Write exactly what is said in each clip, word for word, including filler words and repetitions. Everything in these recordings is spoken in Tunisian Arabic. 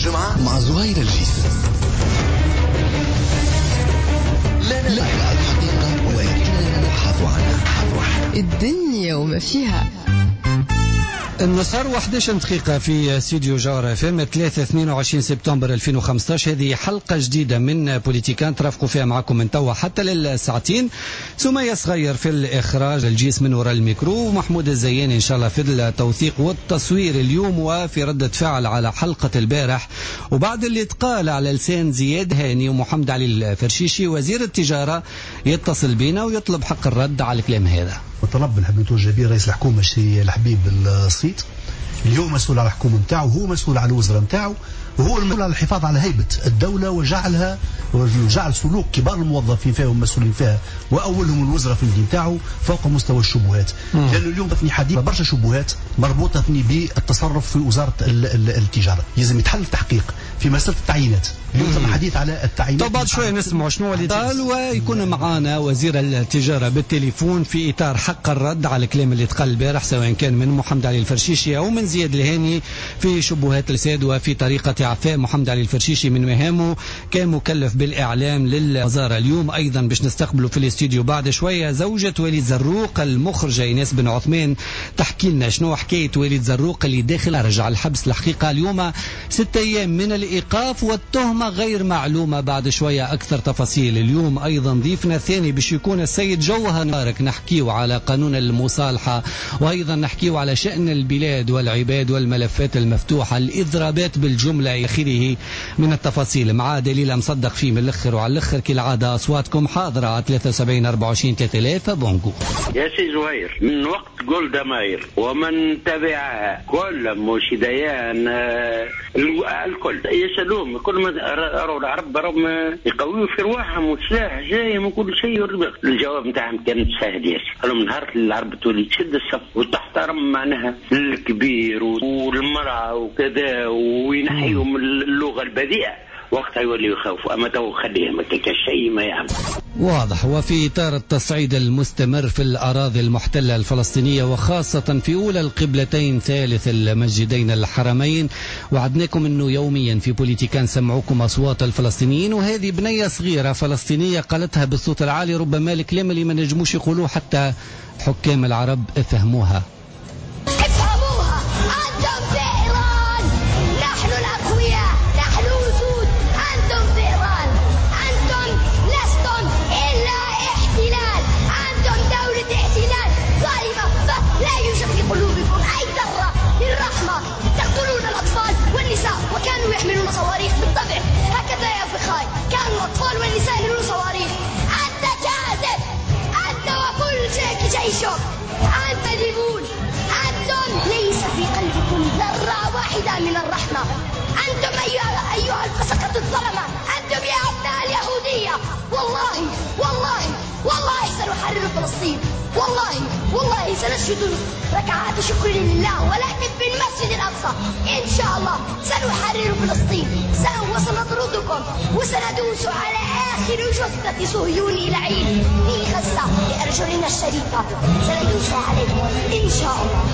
الجمعة مع زهير الجيس. لا لا الحقيقة ولكننا نبحث عنها. الدنيا وما فيها. النصر وإحدى عشر دقيقة في استوديو جوهرة اف ام ثلاثة اثنين وعشرين سبتمبر ألفين وخمسطاش. هذه حلقة جديدة من بوليتيكان ترافقوا فيها معكم من توا حتى للساعتين. سمية صغير في الإخراج، الجيس من وراء الميكرو، ومحمود الزياني إن شاء الله في التوثيق والتصوير اليوم وفي ردة فعل على حلقة البارح وبعد اللي تقال على لسان زياد هاني ومحمد علي الفرشيشي وزير التجارة يتصل بنا ويطلب حق الرد على الكلام هذا. وطلب نحب نتوجه به رئيس الحكومة الشيخ الحبيب الصيد اللي هو مسؤول على الحكومة نتاعو، وهو مسؤول على الوزراء نتاعو، وهو المسؤول على الحفاظ على هيبة الدولة وجعلها وجعل سلوك كبار الموظفين فيها والمسؤولين فيها وأولهم الوزراء في المدينة نتاعو فوق مستوى الشبهات. لأنه اليوم ثني حديث برشا شبهات مربوطة ثني بالتصرف في وزارة التجارة، لازم يتحل التحقيق في مسألة التعيينات. اليوم ثم حديث على التعيينات. طب بعد شوية نسمع شنو اللي قال، ويكون معنا وزير التجارة بالتليفون في إطار حق الرد على الكلام اللي تقال البارح سواء كان من محمد علي الفرشيشي أو من زياد الهاني في شبهات الفساد وفي طريقة إعفاء محمد علي الفرشيشي من مهامه كمكلف بالإعلام للوزارة. اليوم أيضا باش نستقبله في الاستوديو بعد شوية زوجة وليد زروق المخرجة إيناس بن عثمان تحكي لنا شنو حكاية وليد زروق اللي داخل رجع الحبس. الحقيقة اليوم ستة أيام من الإيقاف والتهمة غير معلومة، بعد شوية أكثر تفاصيل. اليوم أيضا ضيفنا الثاني باش يكون السيد جوهر مبارك، نحكيو على قانون المصالحة وأيضا نحكيو على شأن البلاد والعباد والملفات المفتوحة، الإضرابات بالجملة إلى آخره من التفاصيل مع دليل مصدق فيه من الأخر وعلى الأخر كالعادة. أصواتكم حاضرة على ثلاثة وسبعين أربعة وعشرين ثلاثة آلاف. بونجو يا سي زهير، من وقت جولدا ماير ومن تبعها كل مش ديان الكل يسألوهم كل ما رأوا العرب راهم يقويوا في رواحهم والسلاح جاي من كل شيء. الجواب نتاعهم كان سهل ياسر، قالوا من نهار العرب تولي تشد الصف وتحترم معناها الكبير والمرأة وكذا وينحيهم اللغة البذيئة وقتها يولي يخافوا، أما تو خليهم شيء ما يعمل. واضح. وفي إطار التصعيد المستمر في الأراضي المحتلة الفلسطينية وخاصة في أولى القبلتين ثالث المسجدين الحرمين، وعدناكم أنه يوميا في بوليتيكان سمعوكم أصوات الفلسطينيين، وهذه بنية صغيرة فلسطينية قالتها بالصوت العالي، ربما الكلام اللي ما نجموش يقولوه حتى حكام العرب افهموها. افهموها، أنتم فئران، نحن الأقوياء، نحن وجود، أنتم فئران، أنتم لستم إلا احتلال، أنتم دولة احتلال ظالمة، لا يوجد في قلوبكم أي ذرة للرحمة، تقتلون الأطفال والنساء وكانوا يحملون صواريخ بالطبع، هكذا يا فخاي، كانوا الأطفال والنساء يحملون صواريخ. أنت كاذب، أنت وكل شيء جيشك، أنت ديبون، أنتم ليس في قلبكم ذرة واحدة من الرحمة، أنتم أيها, أيها الفسقة الظلمة، أنتم يا أبناء اليهودية، والله والله والله سنحرر فلسطين، والله والله سنسجد ركعات شكر لله ولكن في المسجد الأقصى إن شاء الله سنحرر فلسطين، وسنطردكم وسندوس على آخر جثة صهيوني لعين في غزة بأرجلنا الشريفة، سندوس عليكم إن شاء الله.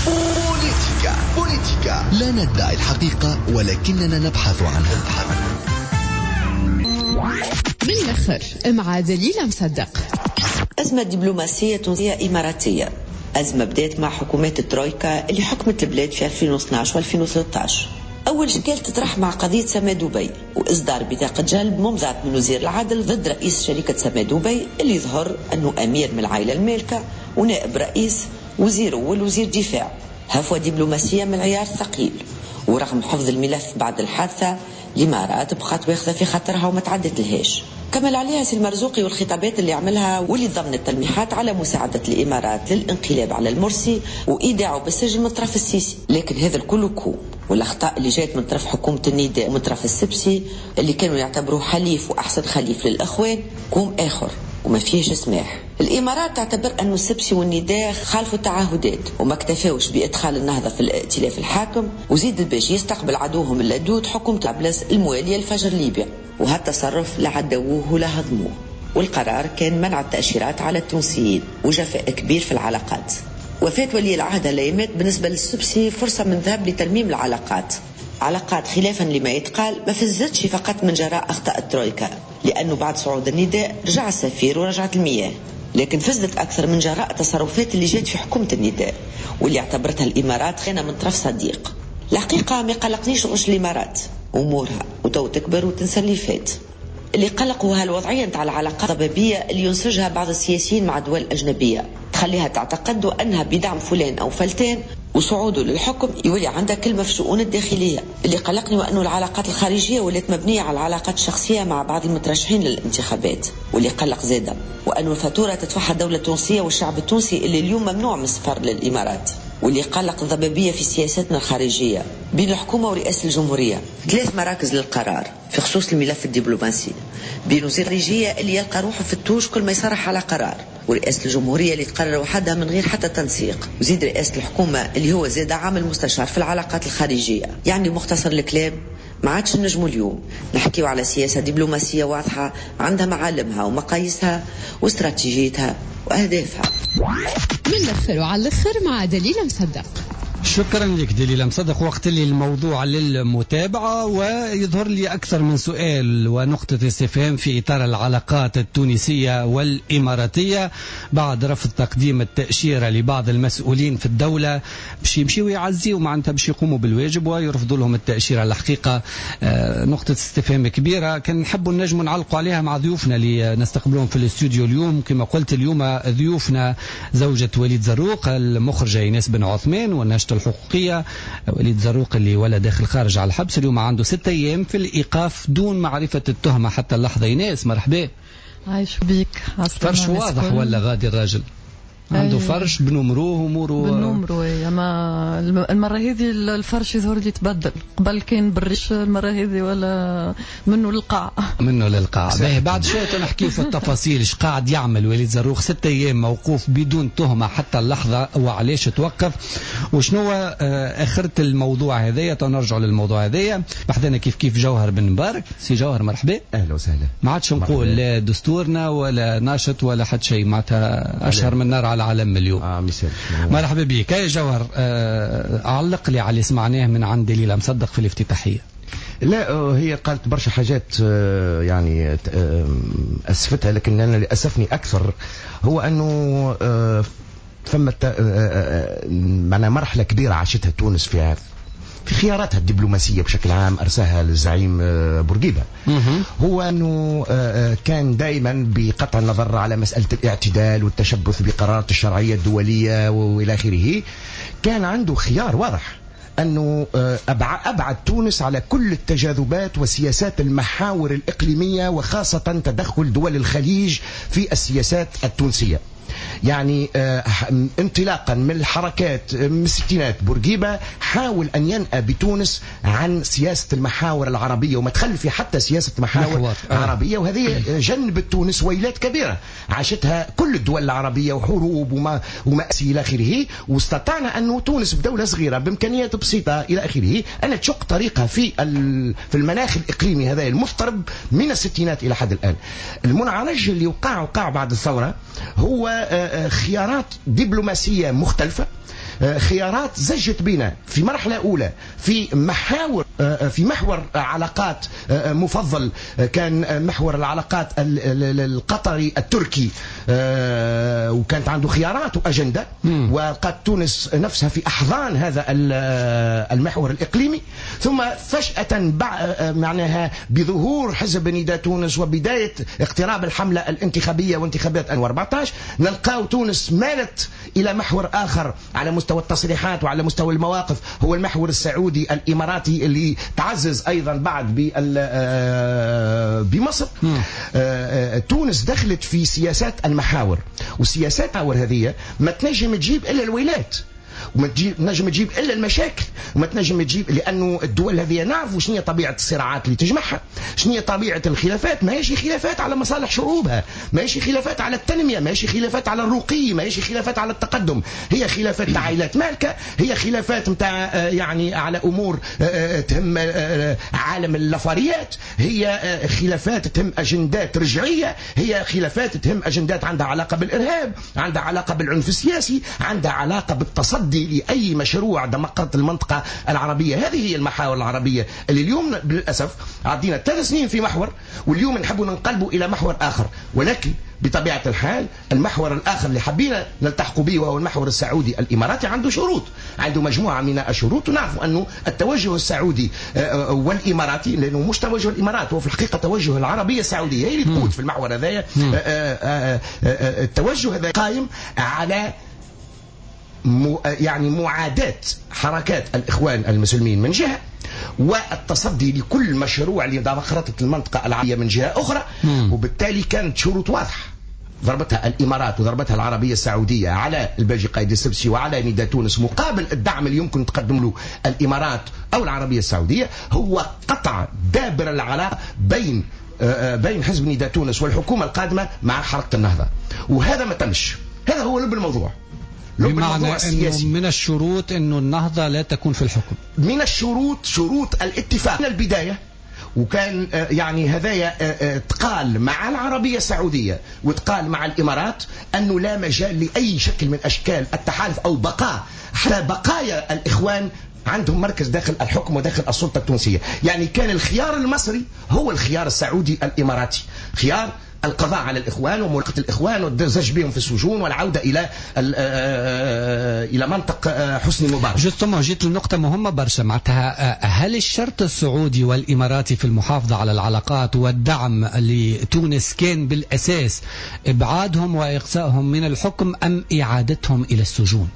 بوليتيكا بوليتيكا لا ندعي الحقيقة ولكننا نبحث عنها. بالآخر مع دليل مصدق. أزمة دبلوماسية تونسية إماراتية، أزمة بدأت مع حكومات الترويكا اللي حكمت البلاد في ألفين واثناش وألفين وثلاثة عشر. أول شكال تطرح مع قضية سما دبي وإصدار بطاقة جلب ممضاة من وزير العدل ضد رئيس شركة سما دبي اللي ظهر أنه أمير من العائلة المالكة ونائب رئيس وزير والوزير دفاع. هفوة دبلوماسية من العيار الثقيل، ورغم حفظ الملف بعد الحادثة الإمارات بقات واخذة في خاطرها وما تعدت لهاش. كمل عليها سي المرزوقي والخطابات اللي عملها واللي ضمنت تلميحات على مساعدة الإمارات للانقلاب على المرسي وإيداعه بالسجن من طرف السيسي. لكن هذا الكل كوم، والأخطاء اللي جات من طرف حكومة النداء ومن طرف السبسي اللي كانوا يعتبروه حليف وأحسن خليف للأخوان كوم آخر وما فيهش سماح. الإمارات تعتبر أن السبسي والنداء خالفوا التعهدات وما اكتفاوش بإدخال النهضة في الائتلاف الحاكم، وزيد الباجي يستقبل عدوهم اللدود حكومة طرابلس الموالية لفجر ليبيا، وهالتصرف لا عدووه ولا هضموه، والقرار كان منع التأشيرات على التونسيين وجفاء كبير في العلاقات. وفاة ولي العهد الأيامات بالنسبة للسبسي فرصة من ذهب لترميم العلاقات، علاقات خلافا لما يتقال ما فزتش فقط من جراء أخطاء الترويكا، لأنه بعد صعود النداء رجع السفير ورجعت المياه، لكن فزت أكثر من جراء التصرفات اللي جات في حكومة النداء واللي اعتبرتها الإمارات خيانة من طرف صديق. الحقيقة ما قلقنيش غش الإمارات أمورها وتو تكبر وتنسى اللي فات. اللي قلقوا هالوضعية نتاع العلاقات الضبابية اللي ينسجها بعض السياسيين مع دول أجنبية، تخليها تعتقد أنها بدعم فلان أو فلتان وصعوده للحكم يولي عندها كلمة في الشؤون الداخلية. اللي قلقني وأنه العلاقات الخارجية ولات مبنية على العلاقات الشخصية مع بعض المترشحين للانتخابات. واللي قلق زادة وأنه الفاتورة تدفعها الدولة التونسية والشعب التونسي اللي اليوم ممنوع من السفر للإمارات. واللي قلق الضبابية في سياستنا الخارجية بين الحكومة ورئاسة الجمهورية، ثلاث مراكز للقرار في خصوص الملف الدبلوماسي، بين وزير الخارجية اللي يلقى روحه في ال touche كل ما يصرح على قرار، ورئاسة الجمهورية اللي تقرر وحدها من غير حتى تنسيق، وزيد رئاسة الحكومة اللي هو زاد عامل مستشار في العلاقات الخارجية. يعني مختصر الكلام ما عادش نجموا اليوم نحكيو على سياسة دبلوماسية واضحة عندها معالمها ومقاييسها واستراتيجيتها وأهدافها. من الأخر وعلى الأخر مع دليل مصدق. شكرا لك دليل مصدق. وقت اللي الموضوع للمتابعة ويظهر لي أكثر من سؤال ونقطة استفهام في إطار العلاقات التونسية والإماراتية بعد رفض تقديم التأشيرة لبعض المسؤولين في الدولة باش يمشيوا يعزيوا، معناتها باش يقوموا بالواجب ويرفضوا لهم التأشيرة. الحقيقة نقطة استفهام كبيرة كان نحبوا نجموا نعلقوا عليها مع ضيوفنا اللي نستقبلهم في الاستوديو اليوم. كما قلت اليوم ضيوفنا زوجة وليد زروق المخرجة إيناس بن عثمان والناشطة الحقوقية وليد زروق اللي ولا داخل خارج على الحبس، اليوم عنده ستة أيام في الإيقاف دون معرفة التهمة حتى اللحظة. إيناس مرحبا. عايش بيك. فرش واضح ولا غادي الراجل عنده فرش بنمروه اموره بنمروه. اما المرة هذه الفرش يظهر لي تبدل، قبل كان بالريش، المرة هذه ولا منه للقاع منه للقاع. باهي بعد شوية نحكيو في التفاصيل ايش قاعد يعمل وليد زروق ستة ايام موقوف بدون تهمه حتى اللحظة وعلاش توقف وشنو اخرة الموضوع هذايا. نرجعوا للموضوع هذايا. بحذانا كيف كيف جوهر بن مبارك. سي جوهر مرحبا. اهلا وسهلا. ما عادش نقول لا دستورنا ولا ناشط ولا حتى شيء، معناتها اشهر من نار على العالم اليوم. آه مثال. مرحبا بك يا جوهر. آه علق لي على اللي سمعناه من عند دليل مصدق في الافتتاحية. لا هي قالت برشا حاجات يعني أسفتها، لكن أنا اللي أسفني أكثر هو أنه فما معنا مرحلة كبيرة عاشتها تونس فيها في خياراتها الدبلوماسية بشكل عام أرساها للزعيم بورقيبة، هو أنه كان دائما بقطع النظر على مسألة الاعتدال والتشبث بقرارات الشرعية الدولية وإلى آخره، كان عنده خيار واضح أنه أبعد تونس على كل التجاذبات وسياسات المحاور الإقليمية وخاصة تدخل دول الخليج في السياسات التونسية. يعني انطلاقا من الحركات من الستينات بورقيبة حاول أن ينأى بتونس عن سياسة المحاور العربية وما تخلفي حتى سياسة محاور محور. عربية، وهذه جنبت تونس ويلات كبيرة عاشتها كل الدول العربية وحروب وما ومأسي إلى آخره، واستطعنا أن تونس بدولة صغيرة بإمكانيات بسيطة إلى آخره أن تشق طريقها في في المناخ الإقليمي هذا المضطرب من الستينات إلى حد الآن. المنعرج اللي وقع وقع بعد الثورة هو خيارات دبلوماسية مختلفة، خيارات زجت بنا في مرحلة أولى في محاور في محور علاقات مفضل كان محور العلاقات القطري التركي، وكانت عنده خيارات وأجندة، وقد تونس نفسها في أحضان هذا المحور الإقليمي. ثم فجأة معناها بظهور حزب نداء تونس وبداية اقتراب الحملة الانتخابية وانتخابات ألفين وأربعة عشر نلقاو تونس مالت إلى محور آخر على مستوى التصريحات وعلى مستوى المواقف، هو المحور السعودي الإماراتي اللي تعزز أيضا بعد بمصر. تونس دخلت في سياسات المحاور، وسياسات المحاور هذه ما تنجم تجيب إلا الويلات، وما تنجم تجيب الا المشاكل، وما تنجم تجيب، لانه الدول هذه نعرفوا شنو هي طبيعة الصراعات اللي تجمعها، شنو هي طبيعة الخلافات. ماهيش خلافات على مصالح شعوبها، ماهيش خلافات على التنمية، ماهيش خلافات على الرقي، ماهيش خلافات على التقدم، هي خلافات تاع عائلات مالكه، هي خلافات نتاع يعني على امور تهم عالم اللافاريات، هي خلافات تهم اجندات رجعية، هي خلافات تهم اجندات عندها علاقة بالارهاب، عندها علاقة بالعنف السياسي، عندها علاقة بالتسلط والتصدي لأي مشروع دمقرة المنطقة العربية. هذه هي المحاور العربية اللي اليوم للأسف عدينا ثلاث سنين في محور، واليوم نحب ننقلبه إلى محور آخر. ولكن بطبيعة الحال المحور الآخر اللي حبينا نلتحق به وهو المحور السعودي الإماراتي عنده شروط، عنده مجموعة من الشروط. ونعرف أنه التوجه السعودي والإماراتي، لأنه مش توجه الإمارات، هو في الحقيقة توجه العربية السعودية هي اللي تقود في المحور هذايا. التوجه هذا قائم على يعني معاداة حركات الإخوان المسلمين من جهة، والتصدي لكل مشروع لدمقرطة المنطقة العربية من جهة أخرى. مم. وبالتالي كانت شروط واضحة ضربتها الإمارات وضربتها العربية السعودية على الباجي قايد السبسي وعلى نداء تونس، مقابل الدعم اللي يمكن تقدم له الإمارات أو العربية السعودية، هو قطع دابر العلاقة بين بين حزب نداء تونس والحكومة القادمة مع حركة النهضة، وهذا ما تمش. هذا هو لب الموضوع. بمعنى أنه من الشروط أنه النهضة لا تكون في الحكم، من الشروط شروط الاتفاق من البداية. وكان يعني هذايا تقال مع العربية السعودية وتقال مع الإمارات أنه لا مجال لأي شكل من أشكال التحالف أو بقاء، حتى بقايا الإخوان عندهم مركز داخل الحكم وداخل السلطة التونسية. يعني كان الخيار المصري هو الخيار السعودي الإماراتي، خيار القضاء على الإخوان وملاقة الإخوان والزج بهم في السجون والعودة إلى إلى منطق حسني مبارك. justement جيت لنقطة مهمة برشا، معناتها هل الشرط السعودي والإماراتي في المحافظة على العلاقات والدعم لتونس كان بالأساس إبعادهم وإقصائهم من الحكم أم إعادتهم إلى السجون؟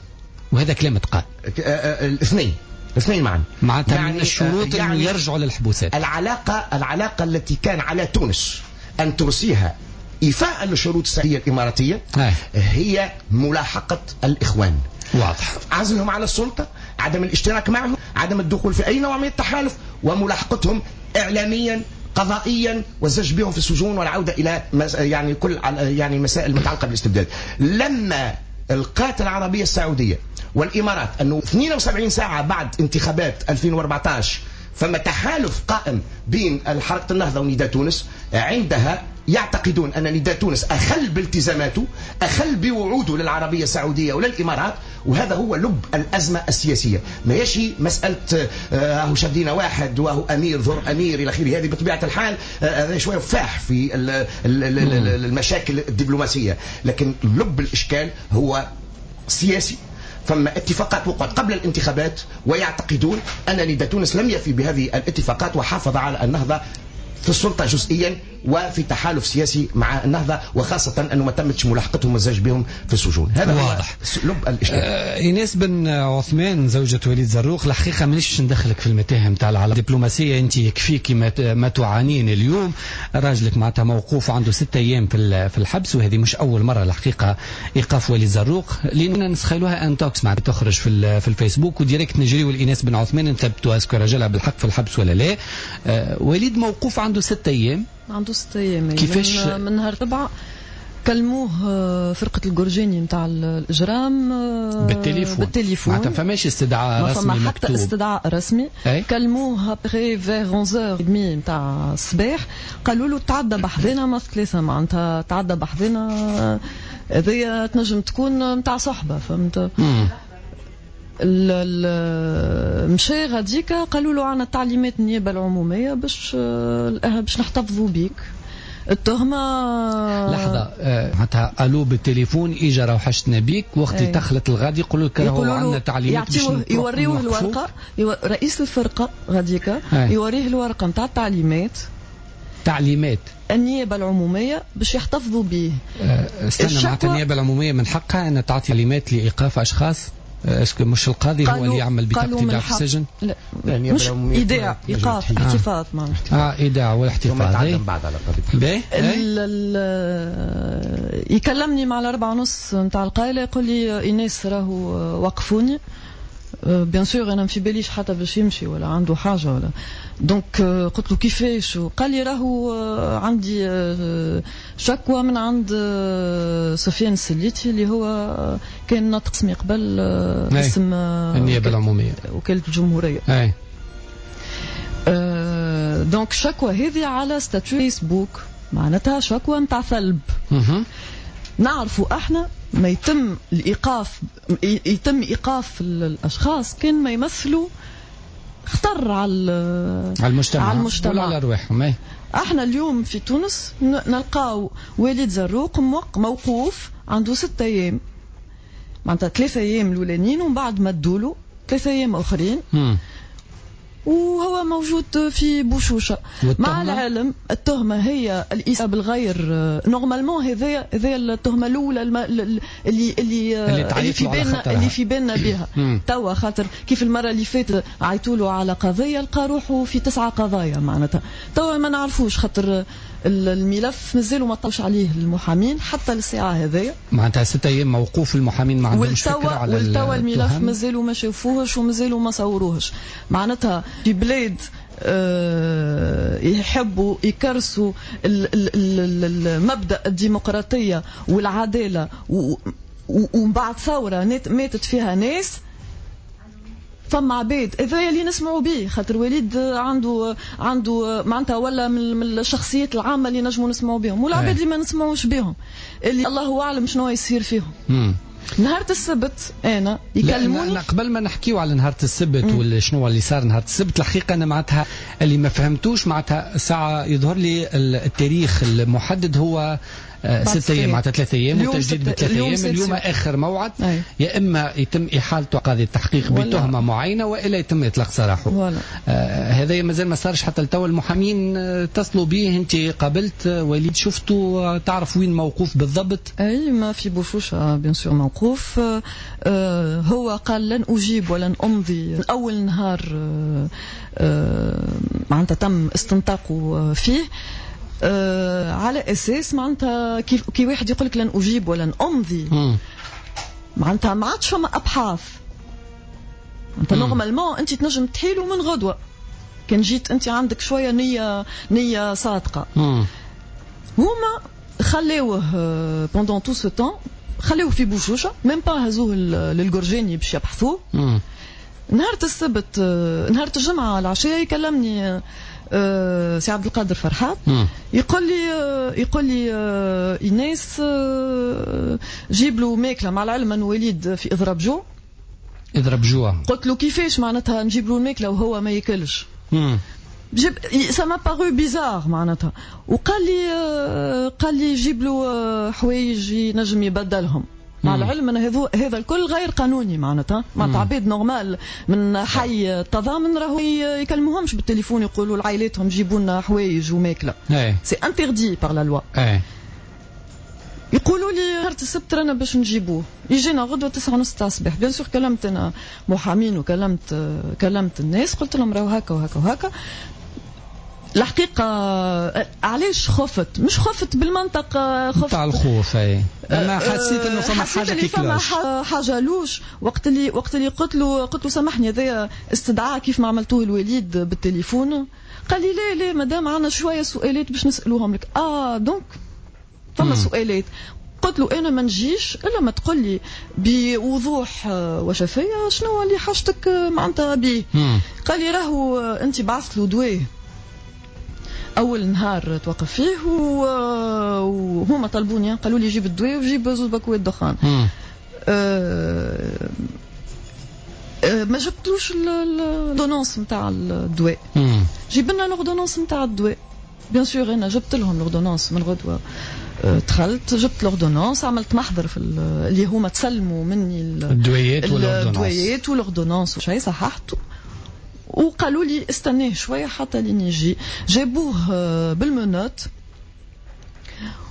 وهذا كلام تقال. الاثنين، الاثنين معا. معناتها يعني من الشروط يعني أنه يرجعوا للحبوسات. العلاقة العلاقة التي كان على تونس أن ترسيها إيفاء للشروط السعودية الإماراتية هي ملاحقة الإخوان. واضح. عزلهم على السلطة، عدم الاشتراك معهم، عدم الدخول في أي نوع من التحالف، وملاحقتهم إعلاميا قضائيا والزج بهم في السجون والعودة إلى يعني كل يعني المسائل المتعلقة بالاستبداد. لما القات العربية السعودية والإمارات أنه اثنين وسبعين ساعة بعد انتخابات ألفين وأربعة عشر فما تحالف قائم بين حركة النهضة ونداء تونس، عندها يعتقدون أن نداء تونس أخل بالتزاماته، أخل بوعوده للعربية السعودية وللإمارات، وهذا هو لب الأزمة السياسية. ما هيش مسألة أهو شدينا واحد وهو أمير ذر أمير إلى آخره، هذه بطبيعة الحال هذا شوية فاح في المشاكل الدبلوماسية، لكن لب الإشكال هو سياسي. فما اتفاقات وقعت قبل الانتخابات ويعتقدون أن نداء تونس لم يفي بهذه الاتفاقات وحافظ على النهضة في السلطة جزئيا وفي تحالف سياسي مع النهضة، وخاصة أنه ما تمتش ملاحقتهم والزج بهم في السجون. هذا واضح لب الإشكال. آه إيناس بن عثمان زوجة وليد زروق، الحقيقة مانيش ندخلك في المتاهة نتاع العلاقة الدبلوماسية، أنت يكفيك ما, ما تعانين اليوم. راجلك معناتها موقوف عنده ستة أيام في في الحبس، وهذه مش أول مرة الحقيقة إيقاف وليد زروق، لأننا نسخيلوها intox معناتها تخرج في في الفيسبوك و direct نجريو لإيناس بن عثمان نثبتوا est-ce que راجلها بالحق في الحبس ولا لا. آه وليد موقوف عنده ستة أيام. عنده ستة أيام. كيفاش؟ من, من نهار تبع كلموه فرقة الجرجاني نتاع الإجرام بالتليفون. بالتليفون معناتها فماش استدعاء رسمي ما فما حتى استدعاء رسمي. أي؟ كلموه après vers onze heures trente نتاع الصباح، قالوا له تعدى بحذنا ما ثلاثة، معناتها تعدى بحذنا هذيا تنجم تكون نتاع صحبة، فهمت؟ مشى غاديكا قالوا له عنا تعليمات النيابة العمومية باش باش نحتفظوا بيك التهمة. لحظة، معناتها قالوا بالتليفون اجا راهو حشتنا بيك، وقت اللي دخلت الغادي يقولوا لك راهو عندنا تعليمات باش يوريوه الورقة، رئيس الفرقة غاديكا يوريه الورقة نتاع التعليمات، تعليمات النيابة العمومية باش يحتفظوا به. استنى، معناتها النيابة العمومية من حقها أن تعطي تعليمات لإيقاف أشخاص؟ est-ce que مش القاضي هو اللي يعمل بطاقة ايداع في السجن؟ لا، مش ايداع، ايقاف، احتفاظ معناها. اه ايداع والاحتفاظ. تعلم بعد على القضية. يكلمني مع الأربعة ونص نتاع القايلة يقول لي إيناس راهو وقفوني. bien sûr انا ما في باليش حتى باش يمشي ولا عنده حاجة ولا، donc قلت له كيفاش؟ قال لي راهو عندي شكوى من عند سفيان السليتي اللي هو كان ناطق اسمي قبل اسم النيابة العمومية وكالة الجمهورية. اي donc شكوى هذه على statut فيسبوك، معناتها شكوى نتاع ثلب. نعرفوا احنا ما يتم الايقاف، يتم ايقاف الاشخاص كان ما يمثلوا خطر على على المجتمع، على المجتمع ولا على ارواحهم. احنا اليوم في تونس نلقاو وليد زروق موقوف عنده ستة ايام، معناتها ثلاثة ايام الاولانيين ومن بعد مدولو ثلاثة ايام اخرين، مم. وهو موجود في بوشوشه. مع العلم التهمة هي الإساءة بالغير. normalement هذا هذا التهمة الاولى الم... اللي اللي اللي, اللي في بالنا اللي في بالنا بها توا، خاطر كيف المرة اللي فاتت عيطوا له على قضية لقى روحه في تسعة قضايا معناتها. توا ما نعرفوش خاطر الملف مازالوا ما طلعوش عليه المحامين حتى للساعة هذيا. معناتها ستة ايام موقوف المحامين ما عندهمش فكرة على والتوا الملف مازالوا ما شافوهش ومازالوا ما صوروهش. معناتها في بلاد آه يحبوا يكرسوا المبدأ الديمقراطية والعدالة، ومن بعد ثورة ماتت فيها ناس، فما عباد هذا اللي نسمعوا به، خاطر وليد عنده عنده معناتها ولا من الشخصيات العامة اللي نجموا نسمعوا بهم، والعباد اللي ما نسمعوش بهم اللي الله اعلم شنو يصير فيهم. مم. نهار السبت انا يكلموني. لا قبل ما نحكيو على نهار السبت ولا شنو اللي صار نهار السبت، الحقيقة انا معناتها اللي ما فهمتوش معناتها ساعة يظهر لي التاريخ المحدد هو ستة ايام، معناتها ثلاثة ايام وتجديد بثلاث ايام. اليوم اخر موعد، أي. يا اما يتم احالته قاضي التحقيق بتهمه معينة والا يتم اطلاق سراحه. آه هذا مازال ما صارش حتى لتو. المحامين اتصلوا به، انت قابلت وليد، شفته، تعرف وين موقوف بالضبط؟ اي ما في بوشوشه bien sûr موقوف. آه هو قال لن اجيب ولن امضي. اول نهار آه آه معناتها تم استنطاقه فيه آه على اساس معناتها كيف كي واحد يقول لك لن اجيب ولن امضي، معناتها ما عادش فما ابحاث. انت normalement انت تنجم تحيلو من غدوه كان جيت انت عندك شوية نيه نيه صادقة. مم. هما خلاوه pendant tout ce temps، خلاوه في بوشوشه، même pas هزوه للجرجاني باش يبحثوه. نهار السبت، نهار الجمعة العشية يكلمني أه سي عبد القادر فرحات، يقول لي يقول لي أه ايناس أه جيب له ماكله، مع العلم انه وليد في اضراب جوع. اضراب جوع. قلت له كيفاش معناتها نجيب له الماكلة وهو ما ياكلش؟ جيب ça m'a paru bizarre معناتها. وقال لي قال لي جيب له حوايج ينجم يبدلهم. مع العلم ان هذا هذا الكل غير قانوني معناتها، معناتها عباد normal من حي التضامن راهو يكلموهمش بالتليفون يقولوا لعائلاتهم جيبوا لنا حوايج وماكله. c'est interdit par la loi. يقولوا لي نهار السبت رانا باش نجيبوه، يجينا غدوه تسعة ونص تاع الصباح. bien sûr كلمت انا محامين وكلمت كلمت الناس، قلت لهم راهو هكا وهكا وهكا. الحقيقة علاش خفت؟ مش خفت بالمنطق، خفت تاع الخوف. اي انا حسيت انه فما حاجة qui cloche، حاجة louche. وقت اللي وقت اللي قلت له قلت له سامحني هذايا استدعاء كيف ما عملتوه الوليد بالتليفون، قال لي لا لا مدام عندنا شوية سؤالات باش نسألوهم لك. اه donc فما سؤالات. قلت له انا ما نجيش الا ما تقول لي بوضوح وشفافيه شنو اللي حاجتك معناتها بيه. قال لي راهو انت بعثت له دواء اول نهار توقف فيه، وهما طلبوني قالوا لي جيب الدواء وجيب زوج باكوات دخان. أه أه ما جبتوش l'ordonnance نتاع الدواء، جيب لنا l'ordonnance نتاع الدواء. bien sûr انا جبت لهم l'ordonnance من غدوه. دخلت جبت l'ordonnance، عملت محضر في اللي هما تسلموا مني الدويات وال ordonnance، الدويات وال ordonnance وشيء، صححته وقالوا لي استناه شوية حتى لين يجي. جابوه بال menottes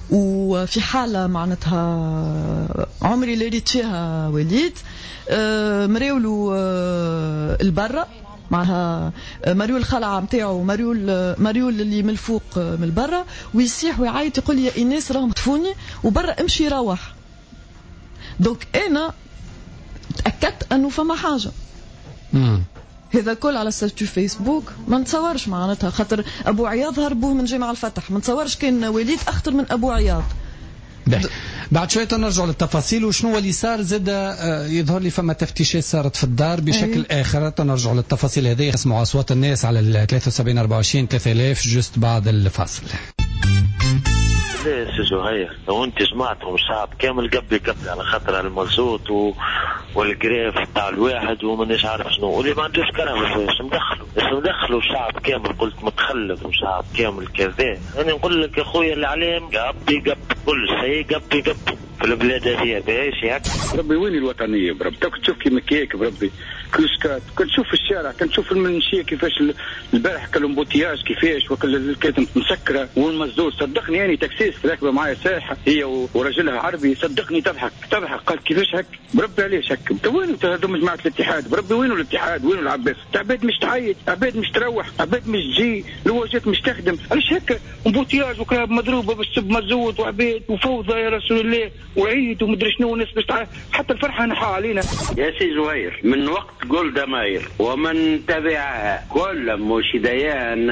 وفي حاله معناتها عمري لا ريت فيها وليد. مريولو البرة معها مريول الخلعة نتاعو، مريول مريول اللي من الفوق من البرة، ويصيح ويعيط يقول لي يا ايناس راهم خطفوني وبرا امشي روح. donc انا تاكدت انه فما حاجة. مم. هذا كل على statut فيسبوك ما نتصورش معناتها، خاطر ابو عياض هربوه من جامع الفتح، ما نتصورش كان وليد اخطر من ابو عياض. بعد شوية نرجع للتفاصيل وشنو اللي صار. زاد يظهر لي فما تفتيشات صارت في الدار بشكل أيه. اخر. نرجع للتفاصيل هذه. اسمعوا اصوات الناس على ثلاثة وسبعين أربعة وعشرين ثلاثة آلاف juste بعد الفاصل. لا سي زهير، لو انت جمعتهم الشعب كامل قبل قبل على خاطر المازوت و... وال grève تاع الواحد ومانيش عارف شنو، واللي ما عندوش كرهبة اش مدخلوا؟ اش مدخلوا الشعب كامل؟ قلت متخلف وشعب كامل كذا. انا نقول لك يا خويا الاعلام قبي قبل كل شيء، قبي قبل في البلاد هذه باش هكا. ربي وين الوطنية بربي؟ تشوف كيما كيك بربي كلوسكات، كنت تشوف في الشارع، كنت تشوف المنشيه كيفاش البارح كل embouteillage كيفاش وكل كانت مسكره والمزدود. صدقني يعني taxiste راكبه معايا سايحه هي ورجلها عربي، صدقني تضحك تضحك، قال كيفاش هك بربي، علاش هك؟ وين هذوما جماعة الاتحاد؟ بربي وينو الاتحاد؟ وينو العباس؟ عباد مش تعيط، عباد مش تروح، عباد مش تجي، الواجهات مش تخدم، علاش هكا؟ embouteillage وكلاب مضروبة بالسب مزود وعباد وفوضى يا رسول الله وعيد ومدري شنو، والناس باش حتى الفرحة نحا علينا. يا سي زهير، من وقت جولدا ماير ومن تبعها كل مش ديان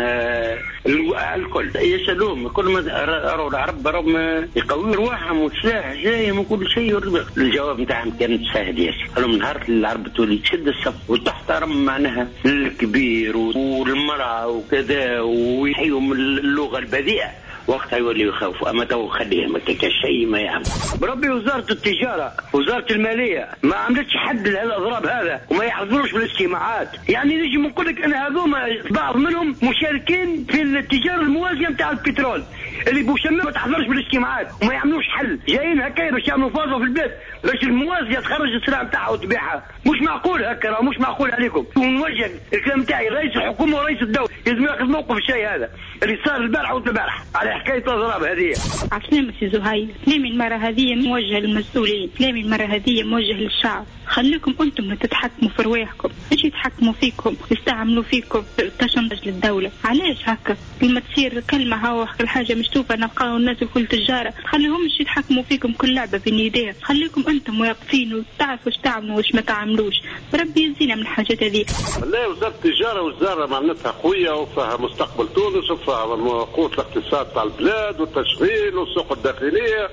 الكل يسألوهم كل ما راهو العرب راهم يقويوا رواحهم والسلاح جاي من كل شيء. الجواب نتاعهم كان سهل ياسر، قالوا من نهار العرب تولي تشد الصف وتحترم معناها الكبير والمرأة وكذا ويحيوا من اللغة البذيئة، وقتها يوليوا يخافوا. اما تو خليهم هكاك شيء ما يعمل. بربي وزارة التجارة وزارة المالية ما عملتش حد لهالاضراب هذا وما يحضروش بالاجتماعات. يعني نجي نقول لك ان هذوما بعض منهم مشاركين في التجارة الموازيه نتاع البترول اللي بوشمه ما تحضرش بالاجتماعات وما يعملوش حل، جايين هكا باش يعملوا فازة في البيت باش الموازيه تخرج السلع نتاعها وتبيعها. مش معقول هكا، مش معقول عليكم. ونوجه الكلام نتاعي رئيس الحكومة ورئيس الدولة لازم ياخذ موقف الشيء هذا اللي صار البارحة والبارحه على حكاية الاضراب هذه. عسلامة سي زهير، كلامي المرة هذه موجه للمسؤولين، كلامي المرة هذه موجه للشعب. خليكم انتم اللي تتحكموا في رواحكم، مش يتحكموا فيكم، يستعملوا فيكم تشنج للدولة. علاش هكا؟ لما تصير كلمة هاو الحاجة مشتوفه نلقاو الناس الكل تجارة، خليهمش يتحكموا فيكم، كل لعبه بين يديهم. خليكم انتم واقفين وتعرفوا اش تعملوا واش ما تعملوش. ربي يزينا من الحاجات هذه. لا وزارة التجارة وزارة معناتها قوية وفيها مستقبل تونس وفيها قوة الاقتصاد تاع البلاد والتشغيل والسوق الداخلية.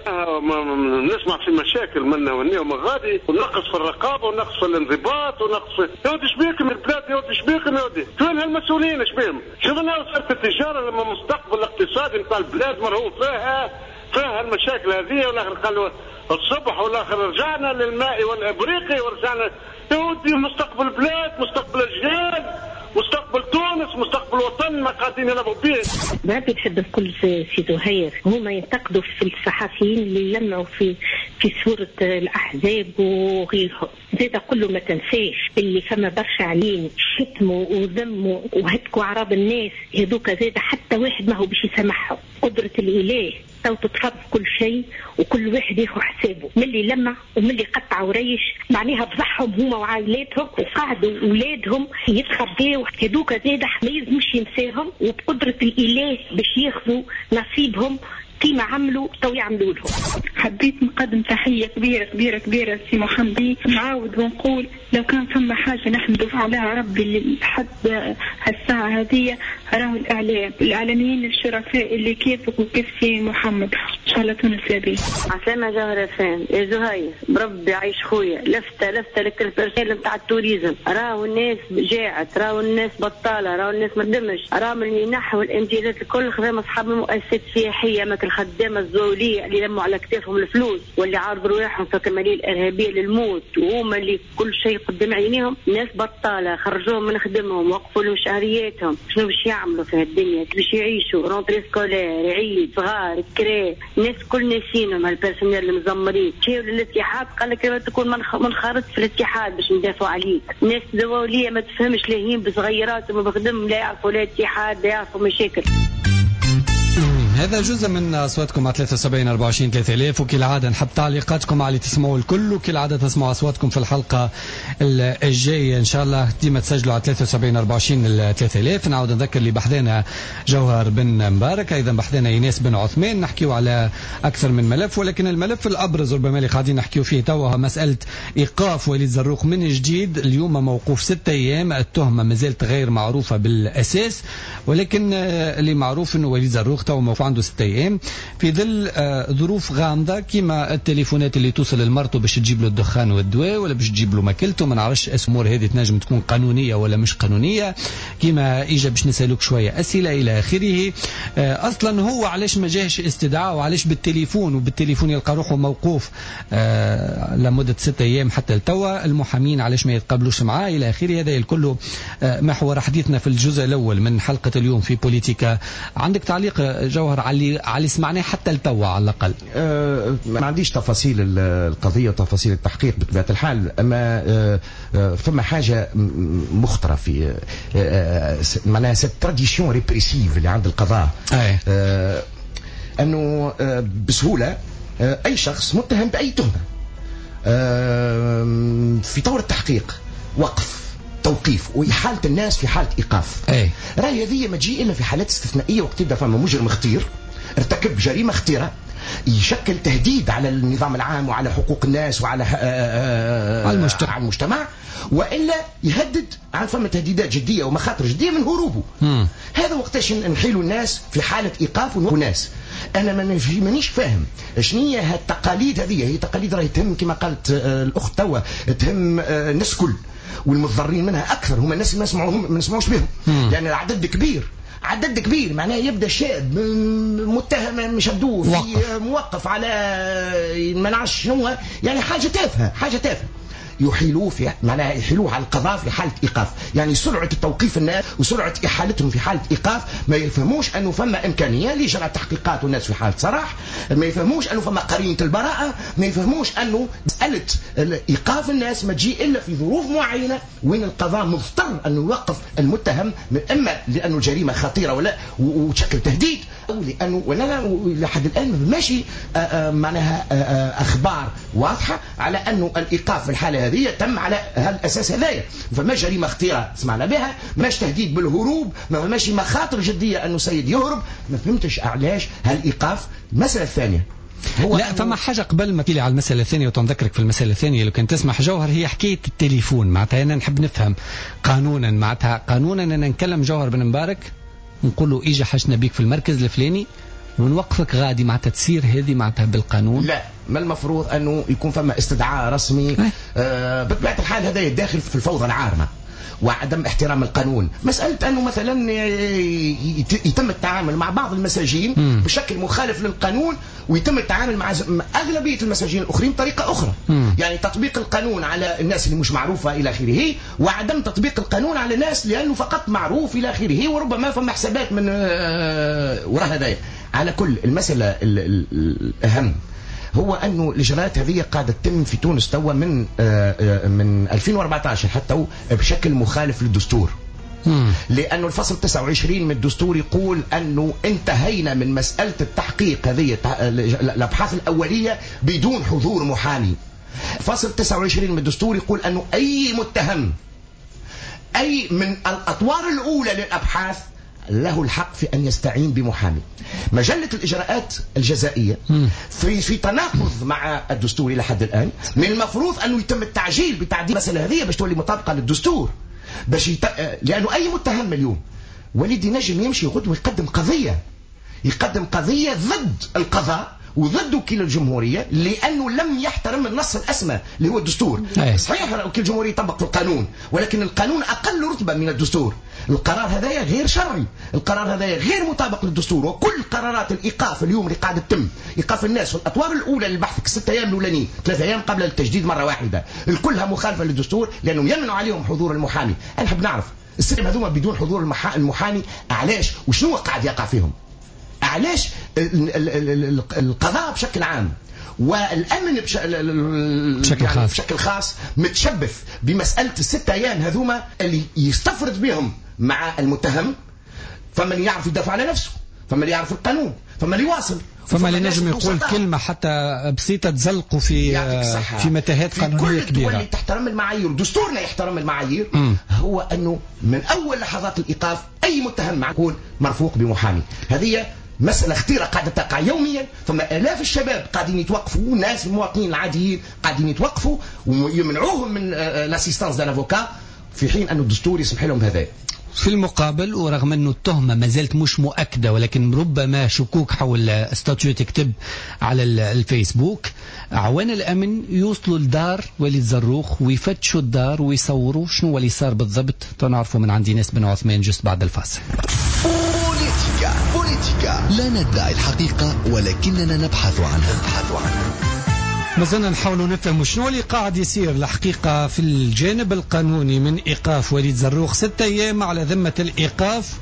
نسمع في مشاكل منا وهنا ومن غادي، ونقص في الرقابة ونقص في الانضباط ونقص في يا ودي شبيكم البلاد، يا ودي شبيكم، يا ودي وين هالمسؤولين شبيهم؟ شفنا وزارة التجارة لما مستقبل الاقتصادي نتاع البلاد مرهون فيها فيها المشاكل هذه، والاخر قالوا الصبح والاخر رجعنا للماء والابريقي ورجعنا. يا ودي مستقبل البلاد، مستقبل الاجيال، مستقبل تونس، مستقبل وطن ما قاعدين يلعبوا به. بربي نحب نقول سي زهير، هما ينتقدوا في الصحفيين اللي يلمعوا في في صورة الأحزاب وغيرهم. زيد أقول له ما تنساش اللي فما برشا علين شتموا وذموا وهتكوا أعراض الناس هذوك، زاد حتى واحد ما هو باش يسامحهم. قدرة الإله تو تتفرض كل شيء وكل واحد ياخذ حسابه، من اللي لمع ومن اللي قطع وريش، معناها فضحهم هما وعائلاتهم وقعدوا اولادهم يتخباو. هذوك زاد ما يلزمش ينساهم، وبقدرة الإله باش ياخذوا نصيبهم كيما عملوا تو يعملوا لهم. حبيت نقدم تحية كبيرة كبيرة كبيرة لسي محمد. نعاود ونقول لو كان فما حاجة نحمد عليها ربي لحد هالساعة هذه راهو الإعلام، الإعلاميين الشرفاء اللي كيفك وكيف سي محمد. إن شاء الله تونس لاباس. عسلامة جوهرة فان يا زهير، بربي عيش خويا، لفتة لفتة لك ال personnel نتاع ال tourisme، راهو الناس جاعت، راهو الناس بطالة، راهو الناس ما تخدمش، راهو المنح والامتيازات الكل خدام أصحاب المؤسسات السياحية، مثل الخدامة الزولية اللي لموا على كتافهم الفلوس واللي عارضوا رواحهم في كمالية الإرهابية للموت، وهما اللي كل شيء قدام عينيهم. ناس بطالة خرجوهم من خدمهم، وقفوا لهم شهرياتهم، شنو باش يعملوا في هالدنيا؟ باش يعيشوا rentrée scolaire، عيد، صغار، كرا، الناس كل ناسينهم هال personnel المزمرين. مشاو للاتحاد قال لك تكون منخرط في الاتحاد باش ندافعوا عليك. الناس الزولية ما تفهمش، لاهين بصغيرات وما بخدم، لا يعرفوا لا اتحاد لا يعرفوا مشاكل. هذا جزء من أصواتكم على ثلاثة وسبعين أربعة وعشرين ثلاثة آلاف، وكالعادة نحب تعليقاتكم على اللي تسمعوا الكل، وكالعادة تسمعوا أصواتكم في الحلقة الجاية إن شاء الله. ديما تسجلوا على ثلاثة وسبعين أربعة وعشرين ثلاثة آلاف. نعاود نذكر اللي بحذانا جوهر بن مبارك، أيضا بحذانا إيناس بن عثمان. نحكيو على أكثر من ملف، ولكن الملف الأبرز ربما اللي قاعدين نحكيو فيه توا مسألة إيقاف وليد زروق من جديد. اليوم موقوف ستة أيام، التهمة ما زالت غير معروفة بالأساس، ولكن اللي معروف أنه وليد زروق توا موقوف عنده عنده ستة ايام في ظل ظروف غامضة كما التليفونات اللي توصل لمرته باش تجيب له الدخان والدواء ولا باش تجيب له ماكلته، ما نعرفش الامور هذه تنجم تكون قانونية ولا مش قانونية، كما اجا باش نسالوك شوية اسئلة الى اخره. اصلا هو علاش ما جاهش استدعاء وعلاش بالتليفون، وبالتليفون يلقى روحه موقوف لمدة ستة ايام حتى لتوا، المحامين علاش ما يتقابلوش معاه الى اخره. هذا الكل محور حديثنا في الجزء الاول من حلقة اليوم في بوليتيكا. عندك تعليق جوهر على على سمعناه حتى لتوا على الاقل؟ أه ما عنديش تفاصيل القضية وتفاصيل التحقيق بطبيعة الحال، اما أه فما حاجة مخطره في أه معناها cette tradition répressive اللي عند القضاء، أه انه أه بسهولة أه اي شخص متهم باي تهمه أه في طور التحقيق وقف توقيف وإحالة الناس في حالة إيقاف. أي. راهي هذه ما تجي إلا في حالات استثنائية وقت يبدا فما مجرم خطير ارتكب جريمة خطيرة يشكل تهديد على النظام العام وعلى حقوق الناس وعلى آه المجتمع. على المجتمع، وإلا يهدد عن فما تهديدات جدية ومخاطر جدية من هروبه. مم. هذا وقتاش نحيلوا الناس في حالة إيقاف وناس. أنا مانيش فاهم شنية هالتقاليد هذه، هي تقاليد راهي تهم كما قالت الأخت توا، تهم الناس كل، والمتضررين منها أكثر هما الناس اللي ما سمعوهم ما نسمعوش بهم، لأن يعني العدد كبير، عدد كبير، معناه يبدا شاب متهم شدوه في موقف على ما نعرفش شنو، يعني حاجة تافهة، حاجة تافهة يحيلوه في معناها يحيلوه على القضاء في حاله ايقاف، يعني سرعة التوقيف الناس وسرعة احالتهم في حاله ايقاف، ما يفهموش انه فما امكانية لاجراء تحقيقات والناس في حاله سراح، ما يفهموش انه فما قرينه البراءة، ما يفهموش انه مسالة ايقاف الناس ما تجي الا في ظروف معينة وين القضاء مضطر انه يوقف المتهم، من اما لانه الجريمة خطيرة ولا وتشكل تهديد، او لانه ولا لحد الان ماشي معناها اخبار واضحة على انه الايقاف في الحالة هذه تم على هالاساس هذايا، فما جريمة خطيرة سمعنا بها، ماش تهديد بالهروب، ما ماشي مخاطر جدية انه سيد يهرب، ما فهمتش علاش هالايقاف. المسالة الثانية هو لا فما حاجة قبل ما تيلي على المسالة الثانية وتنذكرك في المسالة الثانية لو كان تسمح جوهر، هي حكاية التليفون. معناتها انا نحب نفهم قانونا، معناتها قانونا انا نكلم جوهر بن مبارك نقول له اجا حشنا بيك في المركز الفلاني ونوقفك غادي، معناتها تصير هذه معناتها بالقانون؟ لا، ما المفروض انه يكون فما استدعاء رسمي. آه بطبيعة الحال هذا يداخل في الفوضى العارمه وعدم احترام القانون. مسألة أنه مثلا يتم التعامل مع بعض المساجين م. بشكل مخالف للقانون، ويتم التعامل مع أغلبية المساجين الآخرين بطريقة أخرى. م. يعني تطبيق القانون على الناس اللي مش معروفة إلى آخره، وعدم تطبيق القانون على الناس لأنه فقط معروف إلى آخره، وربما فما حسابات من وراء هذايا. على كل المسألة الأهم هو أنه الإجراءات هذه قاعدة تتم في تونس توا من من ألفين وأربعة عشر حتى بشكل مخالف للدستور. لأنه الفصل تسعة وعشرين من الدستور يقول أنه انتهينا من مسألة التحقيق هذه الأبحاث الأولية بدون حضور محامي. فصل تسعة وعشرين من الدستور يقول أنه أي متهم أي من الأطوار الأولى للأبحاث له الحق في أن يستعين بمحامي. مجلة الإجراءات الجزائية في في تناقض مع الدستور إلى حد الآن. من المفروض أنه يتم التعجيل بتعديل المسألة هذه باش تولي مطابقة للدستور، باش يت... لأنه أي متهم اليوم وليد ينجم يمشي غدوة يقدم قضية، يقدم قضية ضد القضاء وضد وكيل الجمهورية لأنه لم يحترم النص الأسمى اللي هو الدستور. أي. صحيح وكيل الجمهورية يطبق القانون، ولكن القانون أقل رتبة من الدستور. القرار هذايا غير شرعي، القرار هذايا غير مطابق للدستور. وكل قرارات الإيقاف اليوم اللي قاعدة تتم، إيقاف الناس في الأطوار الأولى للبحث الست أيام الأولانيين، ثلاث أيام قبل التجديد مرة واحدة، الكلها مخالفة للدستور لأنه يمنع عليهم حضور المحامي. أنا نحب نعرف الست هذوما بدون حضور المحامي علاش وشنو قاعد يقع فيهم؟ علاش القضاء بشكل عام والامن بشكل يعني خاص بشكل خاص متشبث بمسالة الست ايام هذوما اللي يستفرد بهم مع المتهم؟ فمن يعرف يدافع على نفسه، فمن يعرف القانون، فمن اللي يواصل، فما اللي نجم يقول كلمة حتى بسيطة تزلقوا في في متاهات قانونية في كل كبيرة. الدول اللي تحترم المعايير، دستورنا يحترم المعايير، م. هو أنه من أول لحظات الإيقاف أي متهم يكون مرفوق بمحامي. هذه مسألة خطيرة قاعدة تقع يوميا. ثم آلاف الشباب قاعدين يتوقفوا، ناس المواطنين العاديين قاعدين يتوقفوا ويمنعوهم من l'assistance d'un avocat، في حين أن الدستور يسمح لهم بهذا. في المقابل ورغم أنه التهمة ما زالت مش مؤكدة ولكن ربما شكوك حول statut تكتب على الفيسبوك، أعوان الأمن يوصلوا لدار وليد زروق ويفتشوا الدار ويصوروا شنو اللي صار بالضبط. تنعرفوا من عندي ناس بن عثمان juste بعد الفاصل. بوليتيكا بوليتيكا لا ندعي الحقيقة ولكننا نبحث عنها. نبحث عنها. مازلنا نحاولوا نفهموا شنو اللي قاعد يصير الحقيقة في الجانب القانوني من إيقاف وليد زروق ستة أيام على ذمة الإيقاف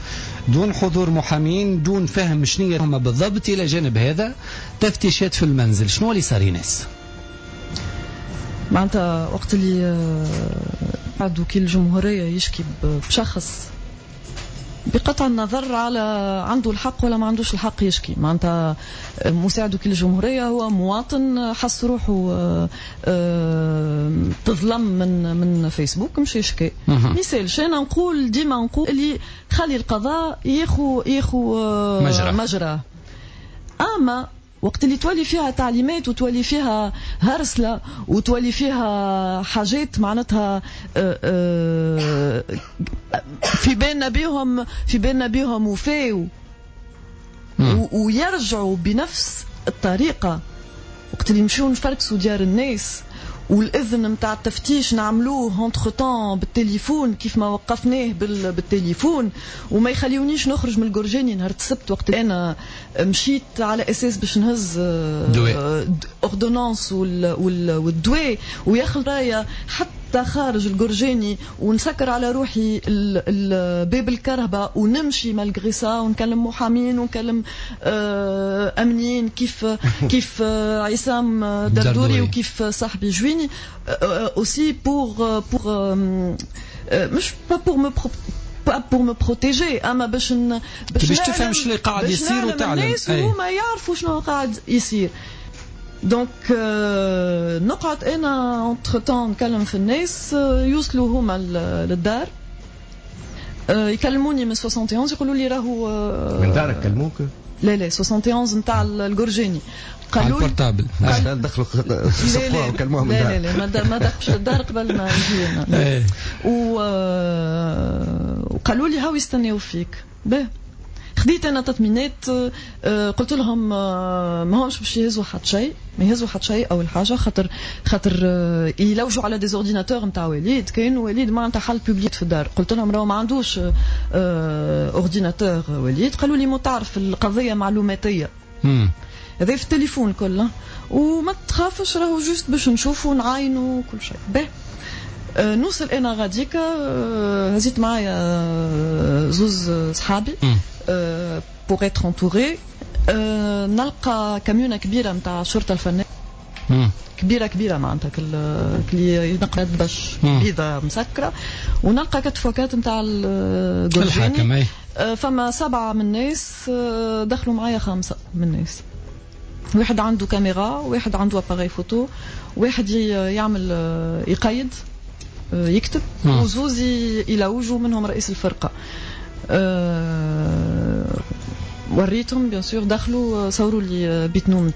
دون حضور محامين، دون فهم شنو هما بالضبط. إلى جانب هذا تفتيشات في المنزل، شنو اللي صار ناس؟ معناتها وقت اللي بعد وكيل الجمهورية يشكي بشخص بقطع النظر على عنده الحق ولا ما عندوش الحق يشكي، معناتها مساعد وكيل الجمهورية هو مواطن حس روحه تظلم من من فيسبوك مشي يشكي. ما يسالش، انا نقول ديما نقول اللي خلي القضاء ياخو ياخو مجرى مجرى. اما وقت اللي تولي فيها تعليمات وتولي فيها هرسلة وتولي فيها حاجات معناتها في بالنا بيهم في بالنا بيهم وفاو ويرجعوا بنفس الطريقة. وقت اللي نمشيو نفركسوا ديار الناس والاذن نتاع التفتيش نعملوه entre-temps بالتليفون كيف ما وقفناه بالتليفون، وما يخليونيش نخرج من القرجاني نهار السبت وقت انا مشيت على اساس باش نهز ordonnance والدواء وياخذ رايه حتى خارج القرجاني ونسكر على روحي باب الكرهبة ونمشي malgré ça ونكلم محامين ونكلم امنيين كيف كيف عصام دردوري وكيف صاحبي جويني aussi pour pour مش pas pour me pas pour me protéger اما باش باش تفهم شنو اللي قاعد يصير وتعلم الناس وهما يعرفوا شنو قاعد يصير. donc نقعد انا entre-temps نكلم في الناس، يوصلوا هما للدار يكلموني من واحد وستين يقولوا لي راهو من دارك كلموك؟ لا لا واحد وستين نتاع القرجاني قالوا ال portable دخلوا سقوها وكلموها من دار. لا لا لا ما دخلش الدار قبل ما نجي انا. وقالوا لي هاو يستناو فيك. باه خديت انا تطمينات، قلت لهم ما همش باش يهزوا حتى شيء، ما يهزوا حتى شيء اول حاجة خاطر خاطر يلوجوا على des ordinateurs نتاع وليد، كاين وليد ما عنده حل public في الدار. قلت لهم راهو ما عندوش ordinateur وليد. قالوا لي مو تعرف القضية معلوماتيه هذا في التليفون كله وما تخافش راهو juste باش نشوفوا ونعاينوا كل شيء. باه نوصل انا غاديكا، هزيت معايا زوز صحابي pour être entouré. نلقى كاميونه كبيرة نتاع الشرطة الفنية كبيرة كبيرة معناتها كلي ينقلت باش بيضة مسكره، ونلقى كتفوكات نتاع الحاكم. فما سبعة من الناس دخلوا معايا، خمسة من الناس، واحد عنده كاميرا، واحد عنده appareil photo، واحد يعمل يقيد يكتب، وزوز يلوجوا منهم رئيس الفرقة. أه وريتهم bien sûr، دخلوا صوروا لي بيت نوم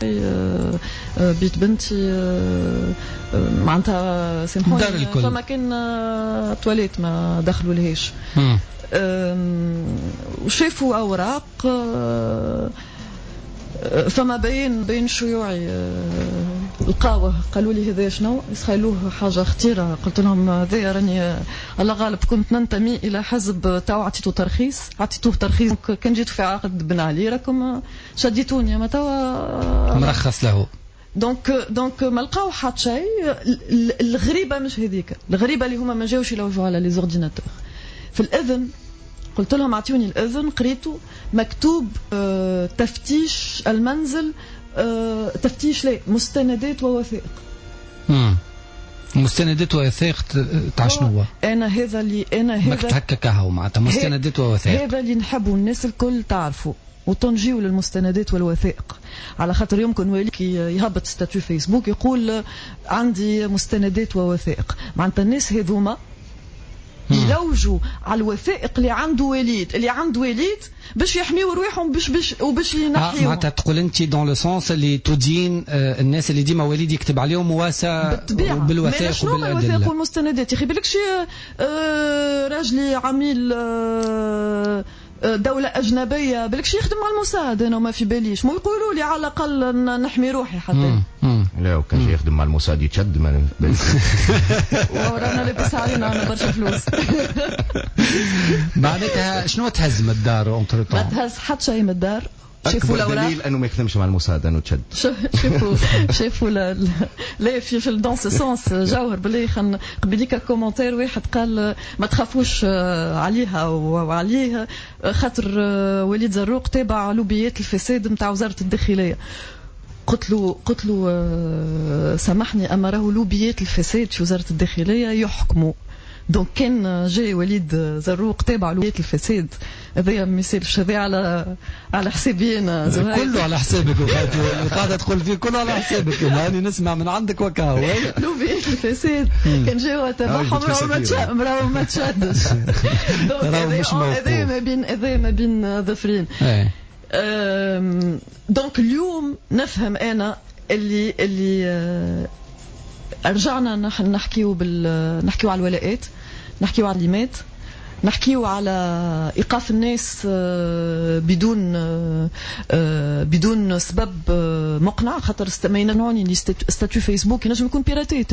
بيت بنتي معناتها سامحوني فما كان تواليت ما دخلوا لهاش. وشافوا اوراق، فما بين بين شيوعي لقاوه قالوا لي هذا شنو، يسخيلوه حاجة خطيرة. قلت لهم هذا راني الله غالب كنت ننتمي الى حزب تاع عطيته ترخيص، عطيتوه ترخيص كان جيتو في عقد بن علي راكم شديتوني، ما توا مرخص له. donc donc ما لقاو حتى شيء. الغريبة مش هذيك، الغريبة اللي هما ما جاوش يلوجوا على les ordinateurs. في الاذن قلت لهم اعطوني الاذن، قريته مكتوب آه تفتيش المنزل، آه تفتيش لا مستندات ووثائق. امم مستندات ووثائق تاع شنو؟ انا هذا اللي انا هذا مكتوب هكا كهو معناتها مستندات ووثائق. هذا اللي نحبوا الناس الكل تعرفوا وتنجيو للمستندات والوثائق، على خاطر يمكن ولي كي يهبط statut فيسبوك يقول عندي مستندات ووثائق، معناتها الناس هذوما يلوجوا على الوثائق اللي عنده وليد، اللي عنده وليد باش يحميوا رواحهم باش باش وباش ينحيوهم. معناتها تقول انت dans le sens اللي تدين الناس اللي ديما وليد يكتب عليهم واسا بالوثائق وبالادله. شنو الوثائق والمستندات؟ يا اخي بالك شي راجلي عميل دولة أجنبية، بالكش يخدم مع الموساد، أنا ما في باليش، مو يقولوا لي على الأقل نحمي روحي حتى. لا وكان يخدم مع الموساد يتشد ما ورانا لاباس علينا عندنا برشا فلوس. معناتها شنو تهز من الدار entre-temps؟ ما تهز حتى شيء من الدار. شافوا الاوراق، دليل انه ما يخدمش مع الموساد انه تشد. شافوا شافوا لا في في dans ce sens جوهر بالله خن قبليك commentaire واحد قال ما تخافوش عليها وعليه خاطر وليد زروق تابع لوبيات الفساد نتاع وزارة الداخلية. قلت له قلت له سامحني اما راهو لوبيات الفساد في وزارة الداخلية يحكموا. donc كان جاي وليد زروق تابع لوبيات الفساد هذايا ما يسالش، هذايا على على حسابي انا كله على حسابك وقاعدة تقول فيه كله على حسابك، ماني نسمع من عندك وكاهو. لوبيات الفساد كان جاو تبعهم راهو ما تشدش. هذايا ما بين هذايا ما بين ظفرين. donc اليوم نفهم انا اللي اللي رجعنا نحكيو بال نحكيو على الولاءات، نحكيو على الليمات، نحكيو على ايقاف الناس بدون بدون سبب مقنع، خاطر ما يمنعوني اللي statut فيسبوك ينجم يكون piraté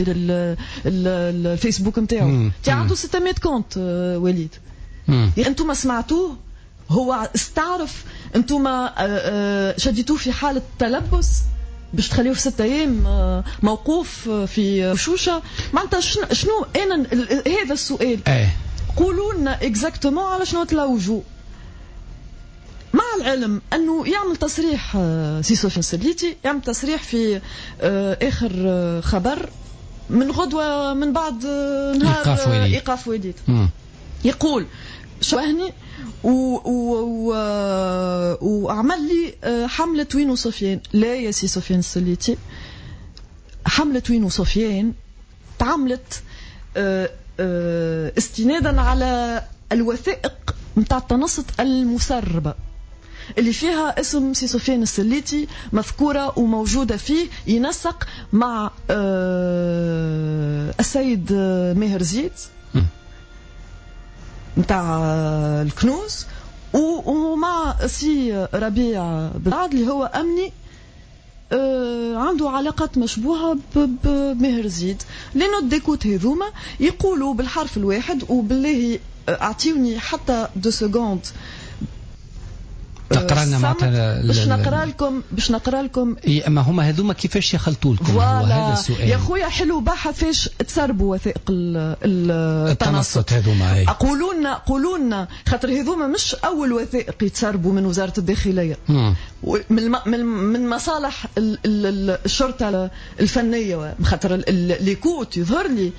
الفيسبوك نتاعو، تي عنده ستمية compte وليد. انتم سمعتوه هو استعرف، انتم شديتوه في حاله تلبس باش تخليه في ستة ايام موقوف في شوشه. معناتها شنو انا هذا السؤال؟ ايه قولوا لنا exactement على شنو تلوجوا. مع العلم انه يعمل تصريح سي سفيان السليتي، يعمل تصريح في اخر خبر من غدوه من بعد نهار ايقاف وليد، يقول شوهني و و وعمل لي حملة وين وسفيان. لا يا سي سفيان السليتي، حملة وين وسفيان تعملت استنادا على الوثائق نتاع التنصت المسربة اللي فيها اسم سي سفيان السليتي مذكورة وموجودة فيه، ينسق مع السيد ماهر زيد نتاع الكنوز ومع سي ربيع بالعاد اللي هو امني عنده علاقات مشبوهة بماهر زيد. les notes d'écoute هذوما يقولوا بالحرف الواحد، وبالله اعطيوني حتى deux secondes تقرا لنا معناتها باش نقرا لكم باش نقرا لكم. إيه اما هما هذوما كيفاش يخلطوا لكم؟ هو هذا السؤال يا خويا. حلو بحث فاش تسربوا وثائق التنصت هذوما. قولوا لنا قولوا لنا خاطر هذوما مش اول وثائق يتسربوا من وزارة الداخلية، من من مصالح الشرطة الفنية، خاطر les écoutes يظهر لي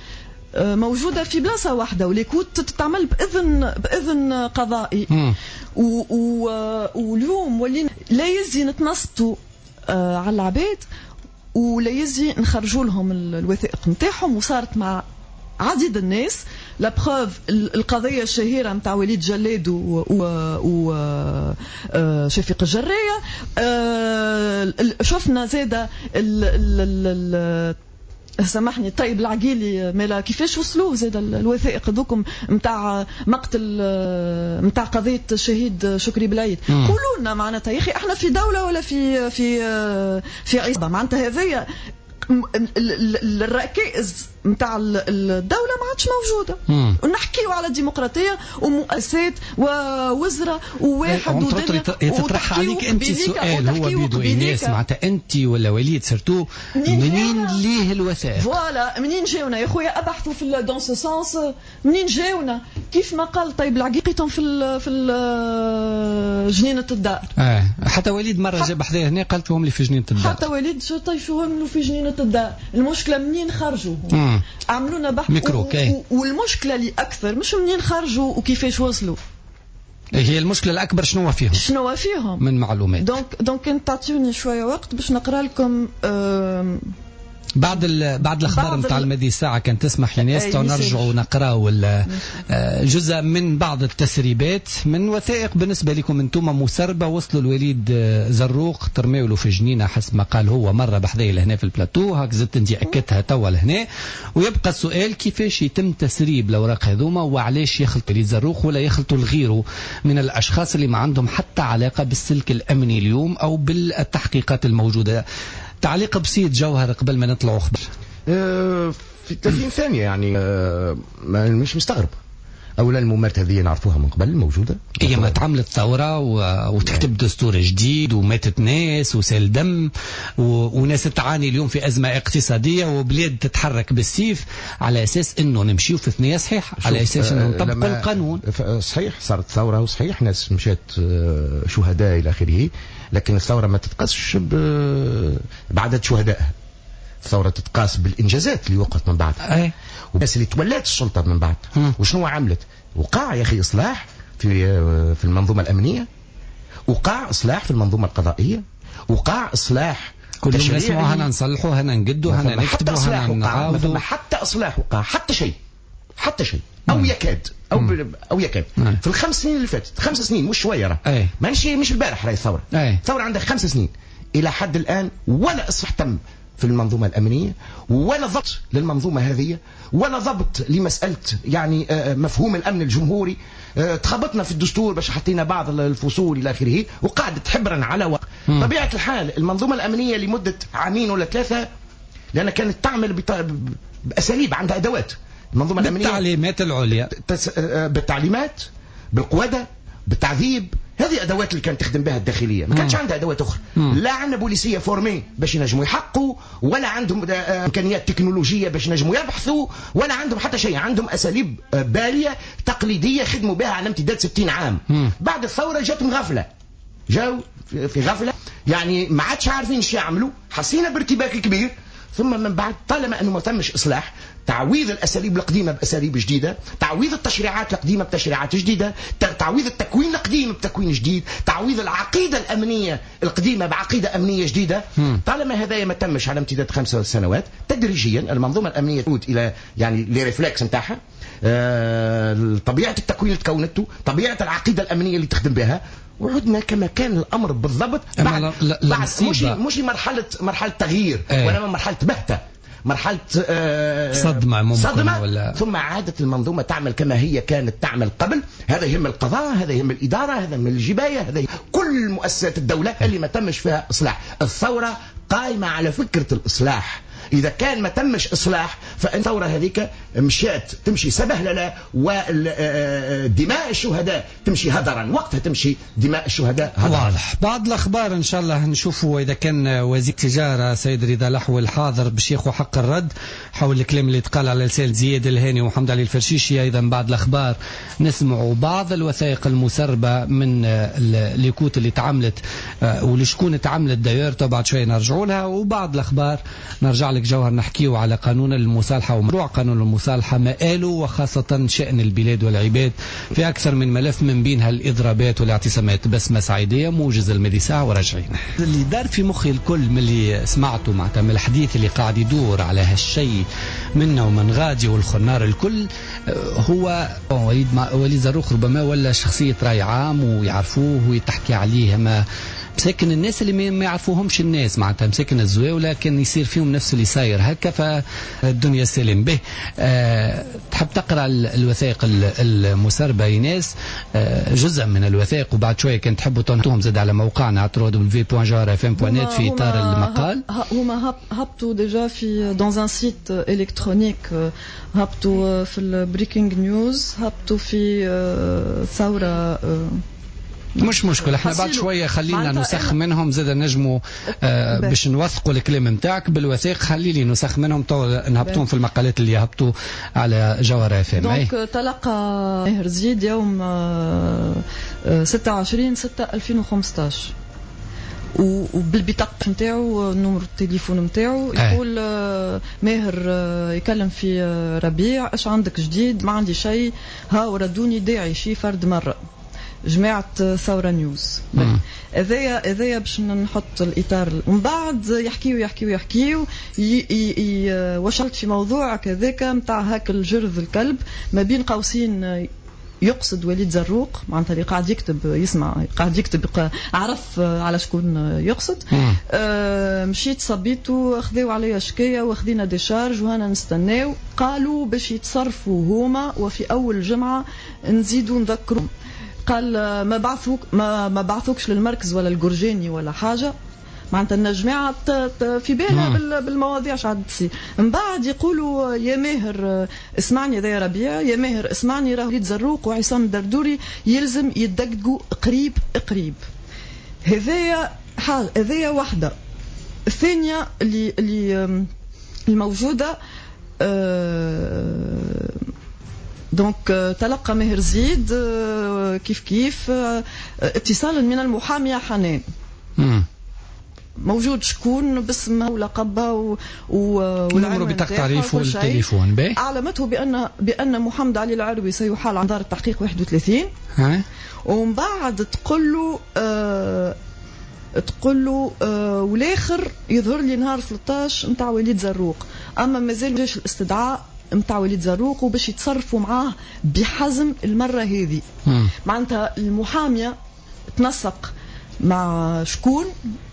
موجودة في بلاصة واحدة، و les écoutes تتعمل بإذن بإذن قضائي. و و واليوم ولينا لا يزي نتنصتوا على العباد ولا يزي نخرجوا لهم الوثائق نتاعهم. وصارت مع عديد الناس، la preuve القضية الشهيرة نتاع وليد جلاد و, و, و شفيق الجريه. شفنا زاده ال سامحني طيب العقيلي مالا كيفاش وصلوه زاد الوثائق هذوكم نتاع مقتل نتاع قضية الشهيد شكري بلعيد. قولوا لنا معناتها يا اخي احنا في دولة ولا في في في عصابة؟ معناتها هذيا الركائز نتاع الدولة ما عادش موجودة. ونحكيو على ديمقراطية ومؤسسات ووزراء وواحد ودنيا. يتطرح عليك انت سؤال هو بيدو ايناس، معناتها انت ولا وليد surtout منين ليه الوثائق؟ voilà منين جاونا يا خويا؟ ابحثوا في dans ce sens منين جاونا؟ كيف ما قال طيب العقيقتهم في ال في ال جنينة الدار. اه حتى وليد مرة جاب حذاه هنا قالت لهم لي في جنينة الدار. حتى وليد طيشوهم له في جنينة الدار. المشكلة منين خرجوا؟ عملونا بحث ميكرو و... والمشكلة اللي اكثر مش منين خرجوا وكيفاش وصلوا، هي المشكلة الاكبر شنو فيهم؟ شنو فيهم من معلومات. donc donc كنت تعطيوني شوية وقت باش نقرا لكم آم... بعد بعد الاخبار نتاع الماضي ساعة كان تسمح لناس نرجعوا نقراو جزء من بعض التسريبات من وثائق بالنسبة لكم انتم مسربه وصلوا الوليد زروق ترميولو في جنينة حسب ما قال هو مرة بحذايا لهنا في البلاتو، هاك زدت انت اكدتها توا لهنا. ويبقى السؤال كيفاش يتم تسريب الاوراق هذوما وعلاش يخلطوا الوليد زروق ولا يخلطوا لغيره من الاشخاص اللي ما عندهم حتى علاقة بالسلك الامني اليوم او بالتحقيقات الموجودة. تعليق بسيط جوهر قبل ما نطلعوا خبر. أه في ثلاثين ثانية يعني أه مش مستغرب. أولا الممارسة هذه نعرفوها من قبل موجودة. هي ما تعملت ثورة و... وتكتب دستور جديد وماتت ناس وسال دم و... وناس تعاني اليوم في أزمة اقتصادية وبلاد تتحرك بالسيف على أساس أنه نمشيو في ثنية صحيح، على أساس أنه نطبقوا القانون. صحيح صارت ثورة وصحيح ناس مشات شهداء إلى آخره، لكن الثورة ما تتقاسش ب... بعدد شهدائها. الثورة تتقاس بالإنجازات اللي وقعت من بعدها. والناس اللي تولات السلطة من بعد وشنو عملت. وقع يا أخي إصلاح في في المنظومة الأمنية، وقع إصلاح في المنظومة القضائية، وقع إصلاح كل يوم نسمعوا هنا نصلحوا هنا نجدوا هنا نكتبوا هنا نعاودوا. حتى إصلاح وقع حتى شيء حتى شيء أو يكاد أو ب... أو يكاد مم. في الخمس سنين اللي فاتت، خمس سنين مش شوية راه، ماشي مش البارح راهي الثورة، الثورة عندها خمس سنين إلى حد الآن ولا إصلاح تم في المنظومة الأمنية، ولا ضبط للمنظومة هذه، ولا ضبط لمسألة يعني مفهوم الأمن الجمهوري. تخبطنا في الدستور باش حطينا بعض الفصول إلى آخره وقعدت حبرا على وقت. طبيعة الحال المنظومة الأمنية لمدة عامين ولا ثلاثة لأنها كانت تعمل بأساليب عندها أدوات المنظومة الأمنية بالتعليمات العليا، بالتعليمات، بالقوادة، بالتعذيب. هذه أدوات اللي كانت تخدم بها الداخلية، ما كانش عندها أدوات أخرى. مم. لا عندنا بوليسية formés باش ينجموا يحقوا، ولا عندهم إمكانيات تكنولوجية باش ينجموا يبحثوا، ولا عندهم حتى شيء. عندهم أساليب بالية تقليدية خدموا بها على امتداد ستين عام. مم. بعد الثورة جاتهم غفلة، جاوا في غفلة يعني ما عادش عارفين ايش يعملوا، حسينا بارتباك كبير. ثم من بعد طالما أنه ما تمش إصلاح، تعويض الأساليب القديمة بأساليب جديدة، تعويض التشريعات القديمة بتشريعات جديدة، تعويض التكوين القديم بتكوين جديد، تعويض العقيدة الأمنية القديمة بعقيدة أمنية جديدة. طالما هذا ما تمش على امتداد خمس سنوات، تدريجيا المنظومة الأمنية تعود إلى يعني les réflexes نتاعها، آه، طبيعة التكوين اللي تكونته، طبيعة العقيدة الأمنية اللي تخدم بها، وعدنا كما كان الأمر بالضبط. بعد, بعد مش مش مرحلة مرحلة تغيير، ولا مرحلة بهتة، مرحلة آه صدمة ممكن، صدمة ولا... ثم عادت المنظومة تعمل كما هي كانت تعمل قبل. هذا يهم القضاء، هذا يهم الإدارة، هذا يهم الجباية، هذا يهم كل مؤسسات الدولة اللي ما تمش فيها إصلاح. الثورة قائمة على فكرة الإصلاح. إذا كان ما تمش إصلاح فإن الثورة هذيك مشات تمشي سبهللة، ودماء الشهداء تمشي هدرا، وقتها تمشي دماء الشهداء هدرا. واضح. بعض الأخبار إن شاء الله نشوفوا إذا كان وزير التجارة سيد رضا لحو الحاضر باش ياخذ حق الرد حول الكلام اللي تقال على لسان زياد الهاني ومحمد علي الفرشيشي. أيضا بعض الأخبار نسمعوا بعض الوثائق المسربة من les écoutes اللي تعملت ولشكون تعملت d'ailleurs، بعد شوية نرجعوا لها. وبعض الأخبار نرجع لك جوهر نحكيه على قانون المصالحة ومشروع قانون المصالحة مآله، وخاصة شأن البلاد والعباد في أكثر من ملف من بينها الإضرابات والاعتصامات. بسمة سعيدية موجز المدي ساعة وراجعين. اللي دار في مخي الكل من اللي سمعته معناتها من الحديث اللي قاعد يدور على هالشيء منا ومن غادي والخنار الكل، هو وليد وليد زروق ربما ولا شخصية رأي عام ويعرفوه ويتحكي عليه، ما مساكن الناس اللي ما يعرفوهمش الناس معناتها مساكن الزواولة كان يصير فيهم نفس اللي صاير هكا، فالدنيا سلم به. أه تحب تقرأ الوثائق المسربة ايناس؟ أه جزء من الوثائق، وبعد شوية كان تحبوا تنطوهم زاد على موقعنا دبليو دبليو دبليو دوت جوهرة اف ام دوت نت في إطار المقال. هما هبطوا déjà في dans un site électronique، هبطوا في ال Breaking News، هبطوا في ثورة. مش مشكلة، احنا بعد شوية خلينا نسخ منهم زاد نجموا آه باش نوثقوا الكلام نتاعك بالوثائق. خلي لي نسخ منهم تو نهبطوهم في المقالات اللي يهبطوا على جوهرة اف ام. donc تلقى ماهر زيد يوم ستة وعشرين ستة ألفين وخمسطاش وبالبطاقة نتاعو numéro التليفون نتاعو يقول ماهر يكلم في ربيع اش عندك جديد؟ ما عندي شيء، ها وردوني داعي شي فرد مرة جماعة ثورة نيوز. هذايا هذايا باش نحط الاطار. ومن بعد يحكيو يحكيو يحكيو وشلت في موضوع كذاك نتاع هاك الجرذ الكلب ما بين قوسين يقصد وليد زروق، معناتها اللي قاعد يكتب يسمع قاعد يكتب عرف على شكون يقصد. آه مشيت صبيتو خذاو عليا شكاية وخذينا décharge وهنا نستناو، قالوا باش يتصرفوا هما وفي اول جمعه نزيدوا نذكروا. قال ما بعثوك ما, ما بعثوكش للمركز ولا الجرجاني ولا حاجة، معناتها الجماعة في بالها بالمواضيع اش عاد تصير. من بعد يقولوا يا ماهر اسمعني، هذا يا ربيع، يا ماهر اسمعني، راه وليد زروق وعصام الدردوري يلزم يدقدقوا قريب قريب. هذايا حاجة، هذايا واحدة. الثانية اللي اللي الموجودة أه donc تلقى ماهر زيد كيف كيف اتصالا من المحاميه حنان. موجود شكون باسمها ولقبها و... والنمرو بطاقة التعريف والتليفون. باهي. أعلمته بأن بأن محمد علي العروي سيحال عن دار التحقيق واحد وثلاثين. ها. ومن بعد تقول له آه... تقول له آه... والاخر يظهر لي نهار ثلاثة عشر نتاع وليد زروق، أما مازال جاش الاستدعاء نتاع وليد زروق وباش يتصرفوا معاه بحزم المرة هذه. معناتها المحامية تنسق مع شكون،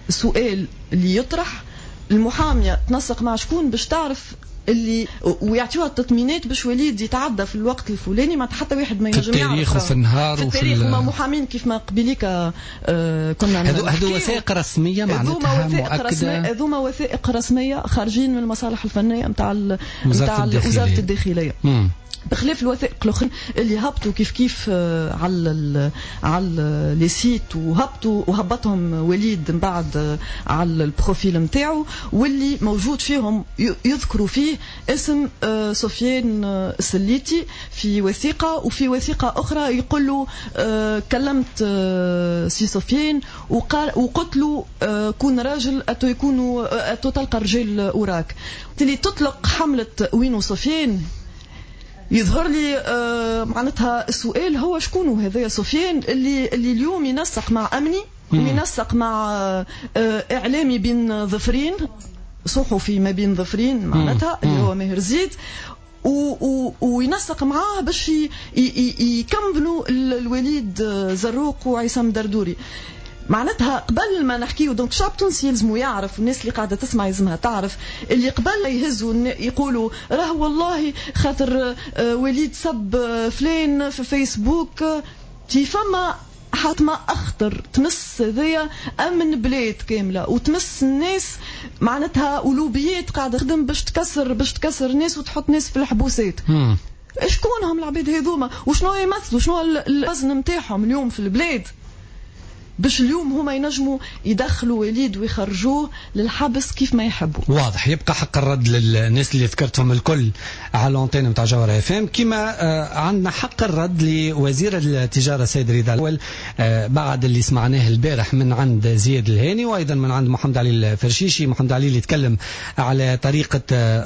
سؤال اللي يطرح المحامية تنسق مع شكون باش تعرف اللي ويعطيوها التطمينات باش وليد يتعدى في الوقت الفلاني، ما حتى واحد ما ينجم يعرف في التاريخ وفي النهار في التاريخ. هما محامين كيف ما قبليك آه كنا هذو هذو وثائق رسمية معناتها مؤكدة، هذوما وثائق رسمية خارجين من المصالح الفنية نتاع نتاع وزارة الداخلية. مم. بخلاف الوثائق الاخرين اللي هبطوا كيف كيف على ال على les sites وهبطوا وهبطهم وليد من بعد على ال profil نتاعو، واللي موجود فيهم يذكروا فيه اسم سفيان السليتي في وثيقة، وفي وثيقة اخرى يقول له كلمت سي سفيان وقال وقلت له كون راجل اتو يكونوا اتو تلقى رجال وراك. اللي تطلق حمله وينو سفيان يظهر لي آه معناتها السؤال هو شكون هذا سفيان اللي اللي اليوم ينسق مع امني وينسق مع آه اعلامي بين ظفرين، صحفي ما بين ظفرين معناتها اللي هو ماهر زيد، وينسق معاه باش يكملوا الوليد زروق وعصام دردوري. معناتها قبل ما نحكيو donc الشعب التونسي يلزمو يعرف، الناس اللي قاعدة تسمع يلزمها تعرف اللي قبل يهزوا يقولوا راه والله خاطر وليد سب فلان في فيسبوك، تي فما حاتمة أخطر تمس هذايا أمن بلاد كاملة وتمس الناس معناتها ولوبيات قاعدة تخدم باش تكسر باش تكسر الناس وتحط ناس في الحبوسات. شكون هم العباد هذوما وشنو يمثلوا، شنو الوزن نتاعهم اليوم في البلاد باش اليوم هما ينجموا يدخلوا وليد ويخرجوه للحبس كيف ما يحبوا. واضح. يبقى حق الرد للناس اللي ذكرتهم الكل على l'antenne نتاع جوهرة اف ام، كما عندنا حق الرد لوزير التجارة السيد رضا الاول بعد اللي سمعناه البارح من عند زياد الهاني وايضا من عند محمد علي الفرشيشي. محمد علي اللي تكلم على طريقه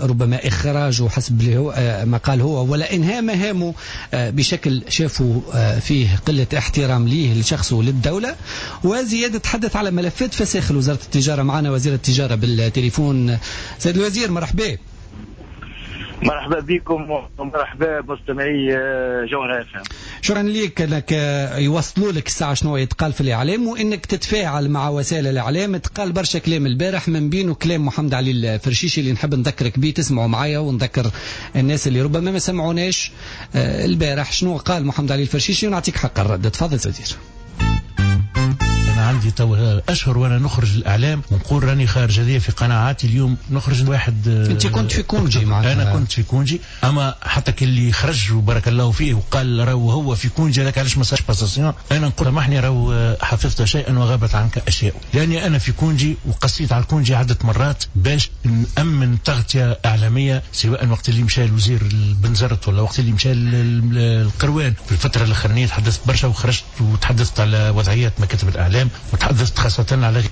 ربما اخراجه حسب اللي هو ما قال هو ولا انهاء مهامه بشكل شافوا فيه قلة احترام ليه لشخصه وللدوله. وزياد تحدث على ملفات فساخ وزارة التجارة. معنا وزير التجارة بالتليفون. سيد الوزير مرحبا. مرحبا بكم ومرحبا بمستمعي جوهرة اف ام. شكرا لك انك يوصلوا لك الساعة شنو يتقال في الاعلام وانك تتفاعل مع وسائل الاعلام. تقال برشا كلام البارح من بينه كلام محمد علي الفرشيشي اللي نحب نذكرك به، تسمعوا معايا ونذكر الناس اللي ربما ما سمعوناش البارح شنو قال محمد علي الفرشيشي ونعطيك حق الرد. تفضل وزير. أنا عندي تو أشهر وأنا نخرج الإعلام ونقول راني خارج، هذه في قناعاتي اليوم نخرج واحد. أنت كنت في congé معناتها؟ أنا كنت في congé، أما حتى كي خرج وبارك الله فيه وقال راهو هو في congé هذاك علاش ما صارش passation، أنا نقول سامحني راهو حفظت شيئا وغابت عنك أشياء، لأني أنا في congé وقصيت على ال congé عدة مرات باش نأمن تغطية إعلامية، سواء وقت اللي مشى الوزير البنزرت ولا وقت اللي مشى القروان. في الفترة الأخرانية تحدثت برشا وخرجت وتحدثت على وضعيات مكاتب الإعلام وتحدثت خاصة على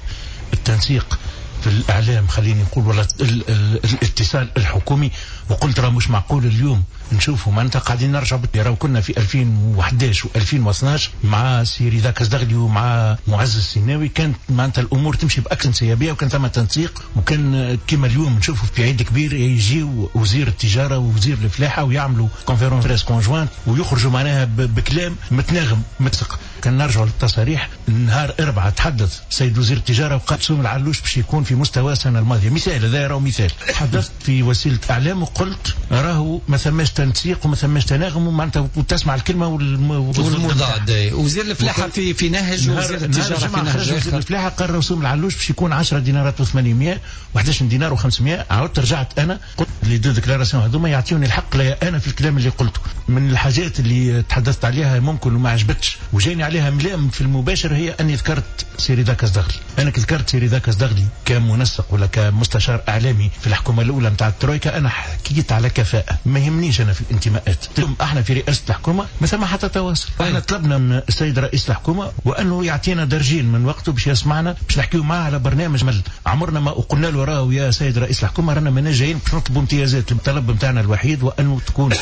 التنسيق في الاعلام، خليني نقول ولا ال ال الاتصال الحكومي، وقلت راه مش معقول اليوم نشوفوا معناتها قاعدين نرجعوا. راهو كنا في ألفين وأحد عشر و ألفين واثنا عشر مع سي رضا كزدغلي ومع معز السيناوي، كانت معناتها الامور تمشي باكثر انسيابيه، وكان ثم تنسيق، وكان كما اليوم نشوفوا في عيد كبير يجيو وزير التجارة ووزير الفلاحة ويعملوا conférence presse conjointe ويخرجوا معناها بكلام متناغم متسق. كان نرجعوا للتصاريح، نهار أربعة تحدث سيد وزير التجارة وقال سوم العلوش باش يكون في مستوى السنة الماضية. مثال هذا راهو مثال. تحدثت في وسيلة اعلام وقلت راهو ما ثماش تنسيق وما ثماش تناغم، ومعناتها وتسمع الكلمة والمضاد. وزير الفلاحة في في نهج، وزير التجارة في نهج. وزير الفلاحة قال رسوم العلوش باش يكون عشرة دينارات وثمانمية وحداش دينار وخمسمية. عاودت رجعت انا قلت les deux déclarations هذوما يعطيوني الحق ليا انا في الكلام اللي قلته. من الحاجات اللي تحدثت عليها ممكن وما عجبتش وجاني عليها ملام في المباشر هي اني ذكرت سي رضا كزدغلي. انا كي ذكرت سي رضا كزدغلي كمنسق ولا كمستشار اعلامي في الحكومة الاولى نتاع الترويكا، انا حكيت على كفاءة، ما يهمنيش انا في الانتماءات. اليوم احنا في رئاسة الحكومة ما ثم حتى تواصل. احنا طلبنا من السيد رئيس الحكومة وانه يعطينا درجين من وقته باش يسمعنا، باش نحكيو معاه على برنامج مل. عمرنا ما قلنا له راهو يا سيد رئيس الحكومة رانا مانا جايين باش نطلبوا امتيازات. الطلب نتاعنا الوحيد وانه تكون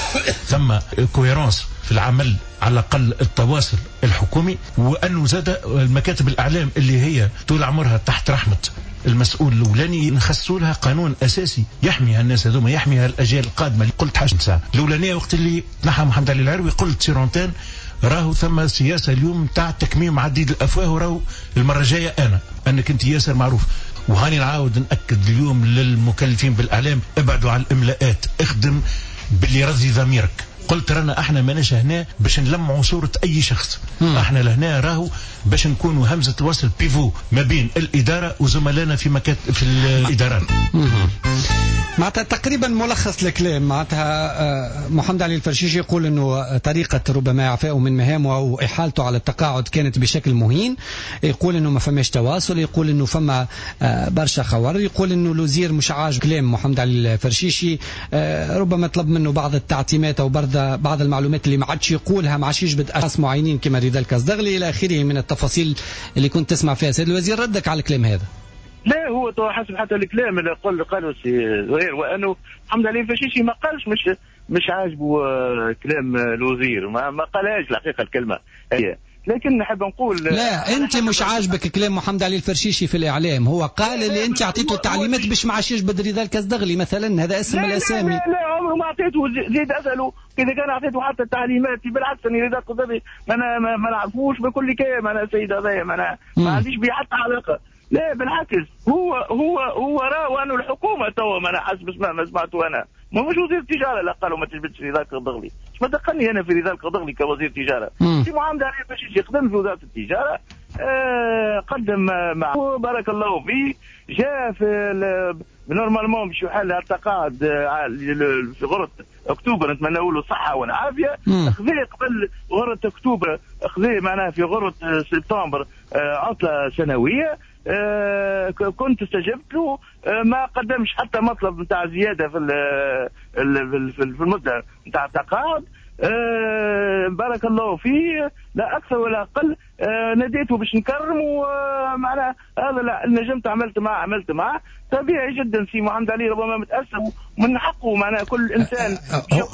ثم cohérence في العمل، على الاقل التواصل الحكومي، وانه زاد المكاتب الاعلام اللي هي طول عمرها تحت رحمه المسؤول الاولاني نخصوا لها قانون اساسي يحمي هالناس هذوما، يحمي هالاجيال القادمة. قلت حاجة ساعة الاولانية وقت اللي تنحى محمد علي العروي قلت sur antenne راهو ثم سياسة اليوم تاع تكميم عديد الافواه، وراهو المرة الجاية انا انك انت ياسر معروف. وهاني نعاود ناكد اليوم للمكلفين بالاعلام، ابعدوا على الاملاءات، اخدم باللي رضي ضميرك. قلت رانا احنا ماناش هنا باش نلمعوا صورة اي شخص. مم. احنا لهنا راهو باش نكونوا همزة الوصل pivot ما بين الادارة وزملائنا في مكات في الادارات. معناتها تقريبا ملخص الكلام، معناتها محمد علي الفرشيشي يقول انه طريقة ربما اعفائه من مهامه او احالته على التقاعد كانت بشكل مهين، يقول انه ما فماش تواصل، يقول انه فما برشا خوار، يقول انه الوزير مش عاجب كلام محمد علي الفرشيشي، ربما طلب منه بعض التعتيمات او بعض بعض المعلومات اللي ما عادش يقولها، ما عادش يجبد اشخاص معينين كما رضا الكزدغلي الى اخره من التفاصيل اللي كنت تسمع فيها. سيد الوزير ردك على الكلام هذا؟ لا، هو تو حسب حتى الكلام اللي قال قالوا سي زهير، وانه محمد علي الفرشيشي ما قالش مش مش عاجبه كلام الوزير، ما, ما قالهاش الحقيقة الكلمة هي. لكن نحب نقول لا، انت مش عاجبك كلام محمد علي الفرشيشي في الاعلام، هو قال اللي انت اعطيته تعليمات باش ما عادش يجبد رضا الكزدغلي مثلا، هذا اسم الاسامي. لا لا, لا عمره ما اعطيته، زيد اساله اذا كان اعطيته حتى التعليمات. بالعكس اني رضا الكزدغلي ما ما, ما نعرفوش بكل كلام، انا السيد هذايا ما, ما عنديش به حتى علاقة. لا بالعكس، هو هو هو راه انه الحكومة توا ما انا حسب ما سمعته انا، ما مش وزير التجارة اللي قالوا ما تجبدش رضا الكزدغلي، اش ما دخلني انا في رضا الكزدغلي كوزير تجارة. سي محمد علي الفرشيشي خدم في وزارة التجارة، آه قدم معه بارك الله فيه، جاء في normalement باش يحل التقاعد في غرة اكتوبر، نتمنى له الصحة والعافية. خذي قبل غره اكتوبر، خذي معناها في غره سبتمبر عطله سنوية، آه كنت استجبت له، آه ما قدمش حتى مطلب نتاع زيادة في في المدة نتاع التقاعد. آه بارك الله فيه، لا اكثر ولا اقل. آه ناديته باش نكرمه، آه معناها هذا لا نجمت عملت معه عملت معه طبيعي جدا. سي محمد علي ربما متاثر ومن حقه، معناها كل انسان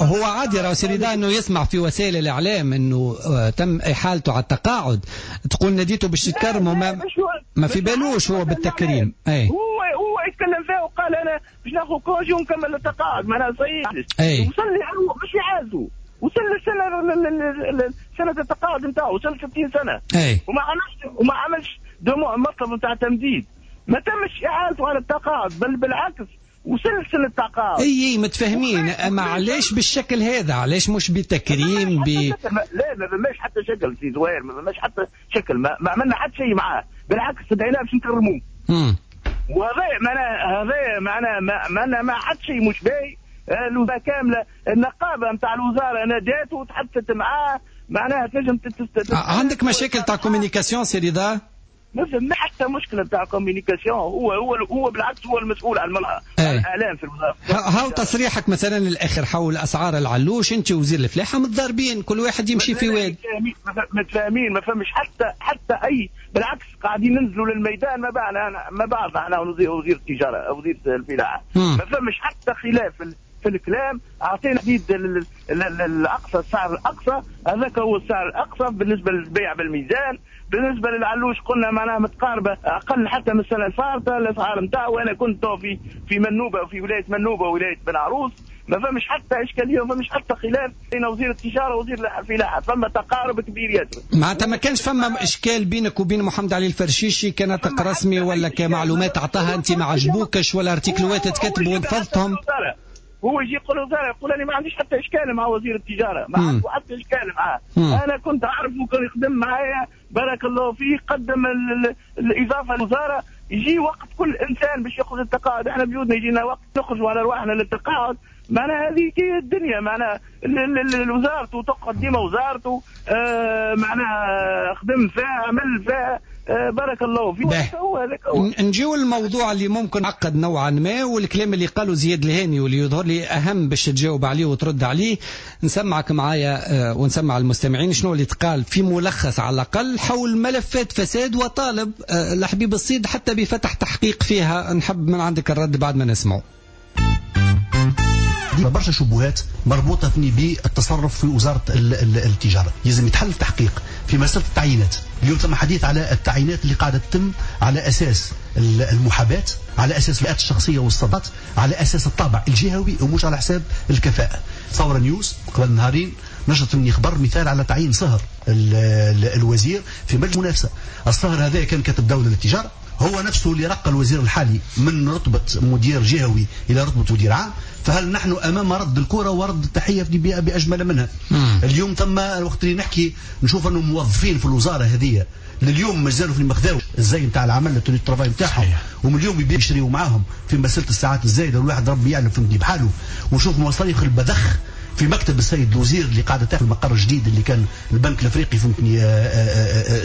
هو عادي راه سي رضا انه يسمع في وسائل الاعلام انه تم احالته على التقاعد، تقول ناديته باش تكرمه، ما ما في بالوش هو بالتكريم. اي هو هو يتكلم فيها وقال انا باش ناخذ congé ونكمل التقاعد، معناها صحيح. وصل لي مش يعازو، وصل للسنة سنة التقاعد نتاعو، وصل ستين سنة. أي. وما عملش وما عملش مطلب نتاع تمديد، ما تمش اعالته على التقاعد، بل بالعكس وصل سنة التقاعد. اي اي متفاهمين، اما علاش بالشكل هذا؟ علاش مش بتكريم؟ ب لا ما فماش حتى شكل سي زهير، ما فماش حتى شكل، ما, ما عملنا حتى شيء معاه، بالعكس استدعيناه باش نكرموه. وهذا معناه هذا معناه ما ما حتى شيء مش باهي. الوزارة كاملة، النقابة نتاع الوزارة نادات وتحدثت معاه، معناها تنجم تت... عندك مشاكل تاع communication سي رضا؟ ما فما حتى مشكلة نتاع communication. هو هو هو بالعكس هو المسؤول على الاعلام في الوزارة. هاو تصريحك مثلا الاخر حول اسعار العلوش، انت وزير الفلاحة متضاربين، كل واحد يمشي في واد. متفاهمين، ما فمش حتى حتى اي، بالعكس قاعدين ننزلوا للميدان ما بعنا ما بعض احنا وزير التجارة وزير الفلاحة، ما فمش حتى خلاف في الكلام. اعطينا تحديد الاقصى، السعر الاقصى هذاك هو السعر الاقصى بالنسبة للبيع بالميزان. بالنسبة للعلوش قلنا معناها متقاربة اقل حتى من السنة الفارطه الاسعار نتاعو. وانا كنت في في منوبه وفي ولاية منوبه وولاية بن عروس، ما فمش حتى اشكالية وما فمش حتى خلاف بين وزير التجارة ووزير الفلاحة، فما تقارب كبير ياسر. معناتها ما كانش فما اشكال بينك وبين محمد علي الفرشيشي كناطق رسمي ولا كمعلومات اعطاها انت ما عجبوكش ولا ارتيكلوات تكتبوا ونفضتهم؟ هو يجي يقول الوزارة يقول انا ما عنديش حتى اشكال مع وزير التجارة، ما عندي حتى اشكال معاه. انا كنت اعرفه وكان يخدم معايا بارك الله فيه، قدم الاضافة للوزارة. يجي وقت كل انسان باش ياخذ التقاعد، احنا بجودنا يجينا وقت نخرجوا على رواحنا للتقاعد، معناها هذه هي الدنيا، معناها وزارته تقعد ديما وزارته، آه معناها خدم فيها عمل فيها، آه بارك الله فيك. هو هذاك هو. نجيو الموضوع اللي ممكن عقد نوعا ما، والكلام اللي قاله زياد الهاني واللي يظهر لي اهم باش تجاوب عليه وترد عليه. نسمعك معايا ونسمع المستمعين شنو اللي تقال في ملخص على الاقل حول ملفات فساد، وطالب الحبيب الصيد حتى بفتح تحقيق فيها. نحب من عندك الرد بعد ما نسمعه. برشا شبهات مربوطة بالتصرف في وزارة التجارة، لازم يتحل التحقيق في مسألة التعيينات. اليوم ثم حديث على التعيينات اللي قاعدة تتم على أساس المحاباة، على أساس الفئات الشخصية والصفات، على أساس الطابع الجهوي ومش على حساب الكفاءة. ثورة نيوز قبل نهارين نشرت مني خبر مثال على تعيين صهر الوزير في مجلس المنافسة. الصهر هذا كان كاتب دولة للتجارة، هو نفسه اللي رقى الوزير الحالي من رتبة مدير جهوي إلى رتبة مدير عام. فهل نحن أمام رد الكرة ورد التحية بأجمل منها؟ مم. اليوم ثم الوقت اللي نحكي نشوف أنه موظفين في الوزارة هذه لليوم مازالوا في المخداوي الزي نتاع العمل ال tenue de travail نتاعهم، ومن اليوم يشريوا معاهم في مسألة الساعات الزايدة، والواحد ربي يعلم فهمتني بحاله. ونشوف مصاريف البذخ في مكتب السيد الوزير اللي قاعدة تاخذ المقر الجديد اللي كان البنك الافريقي فهمتني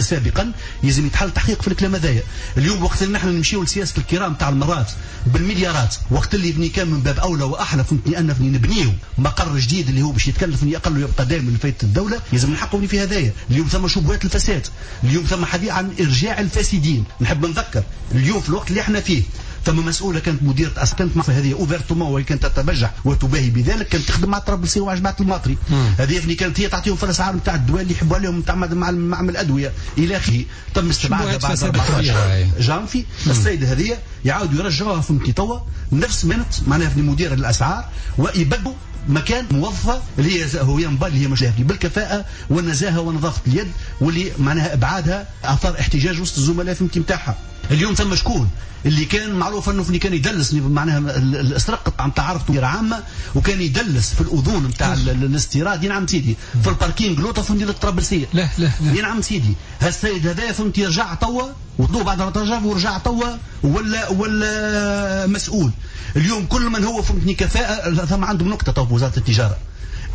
سابقا. يلزم يتحل تحقيق في الكلام هذايا. اليوم وقت اللي نحن نمشيو لسياسه الكرام تاع المرات بالمليارات، وقت اللي بني كان من باب اولى واحلى فهمتني ان نبنيو مقر جديد اللي هو باش يتكلف اقل ويبقى دائما لفائدة الدولة، لازم نحققوا في هذايا. اليوم ثم شبهات الفساد، اليوم ثم حديث عن ارجاع الفاسدين. نحب نذكر اليوم في الوقت اللي احنا فيه ثم مسؤولة كانت مديره كانت مع هذه ouvertement وهي كانت تتبجح وتباهي بذلك، كانت تخدم مع طرابلسي ومع جماعة الماطري. هذه يعني كانت هي تعطيهم في الاسعار نتاع الدواء اللي يحبوا عليهم نتاع معمل الادوية الى اخره. تم استبعادها بعد أربعة عشر جانفي. السيدة هذه يعاودوا يرجعوها فهمتي توا نفس منت معناها في مديره الاسعار، ويبدوا مكان موظفة اللي هي هو اللي هي مش بالكفاءه والنزاهة ونظافه اليد، واللي معناها ابعادها اثار احتجاج وسط الزملاء فهمتي نتاعها. اليوم ثم شكون اللي كان معروف انه اللي كان يدلس معناها السرقة نتاع عرفته عامة، وكان يدلس في الاذون نتاع الاستيراد. نعم سيدي في ال parking لوطا فهمتي للطرابلسيه. لا لا لا نعم سيدي هالسيد هذا فهمتي رجع توا وطلوع بعد رجع ورجع توا ولا ولا مسؤول. اليوم كل من هو فهمتني كفاءة ثم عندهم نقطة تو في وزارة التجارة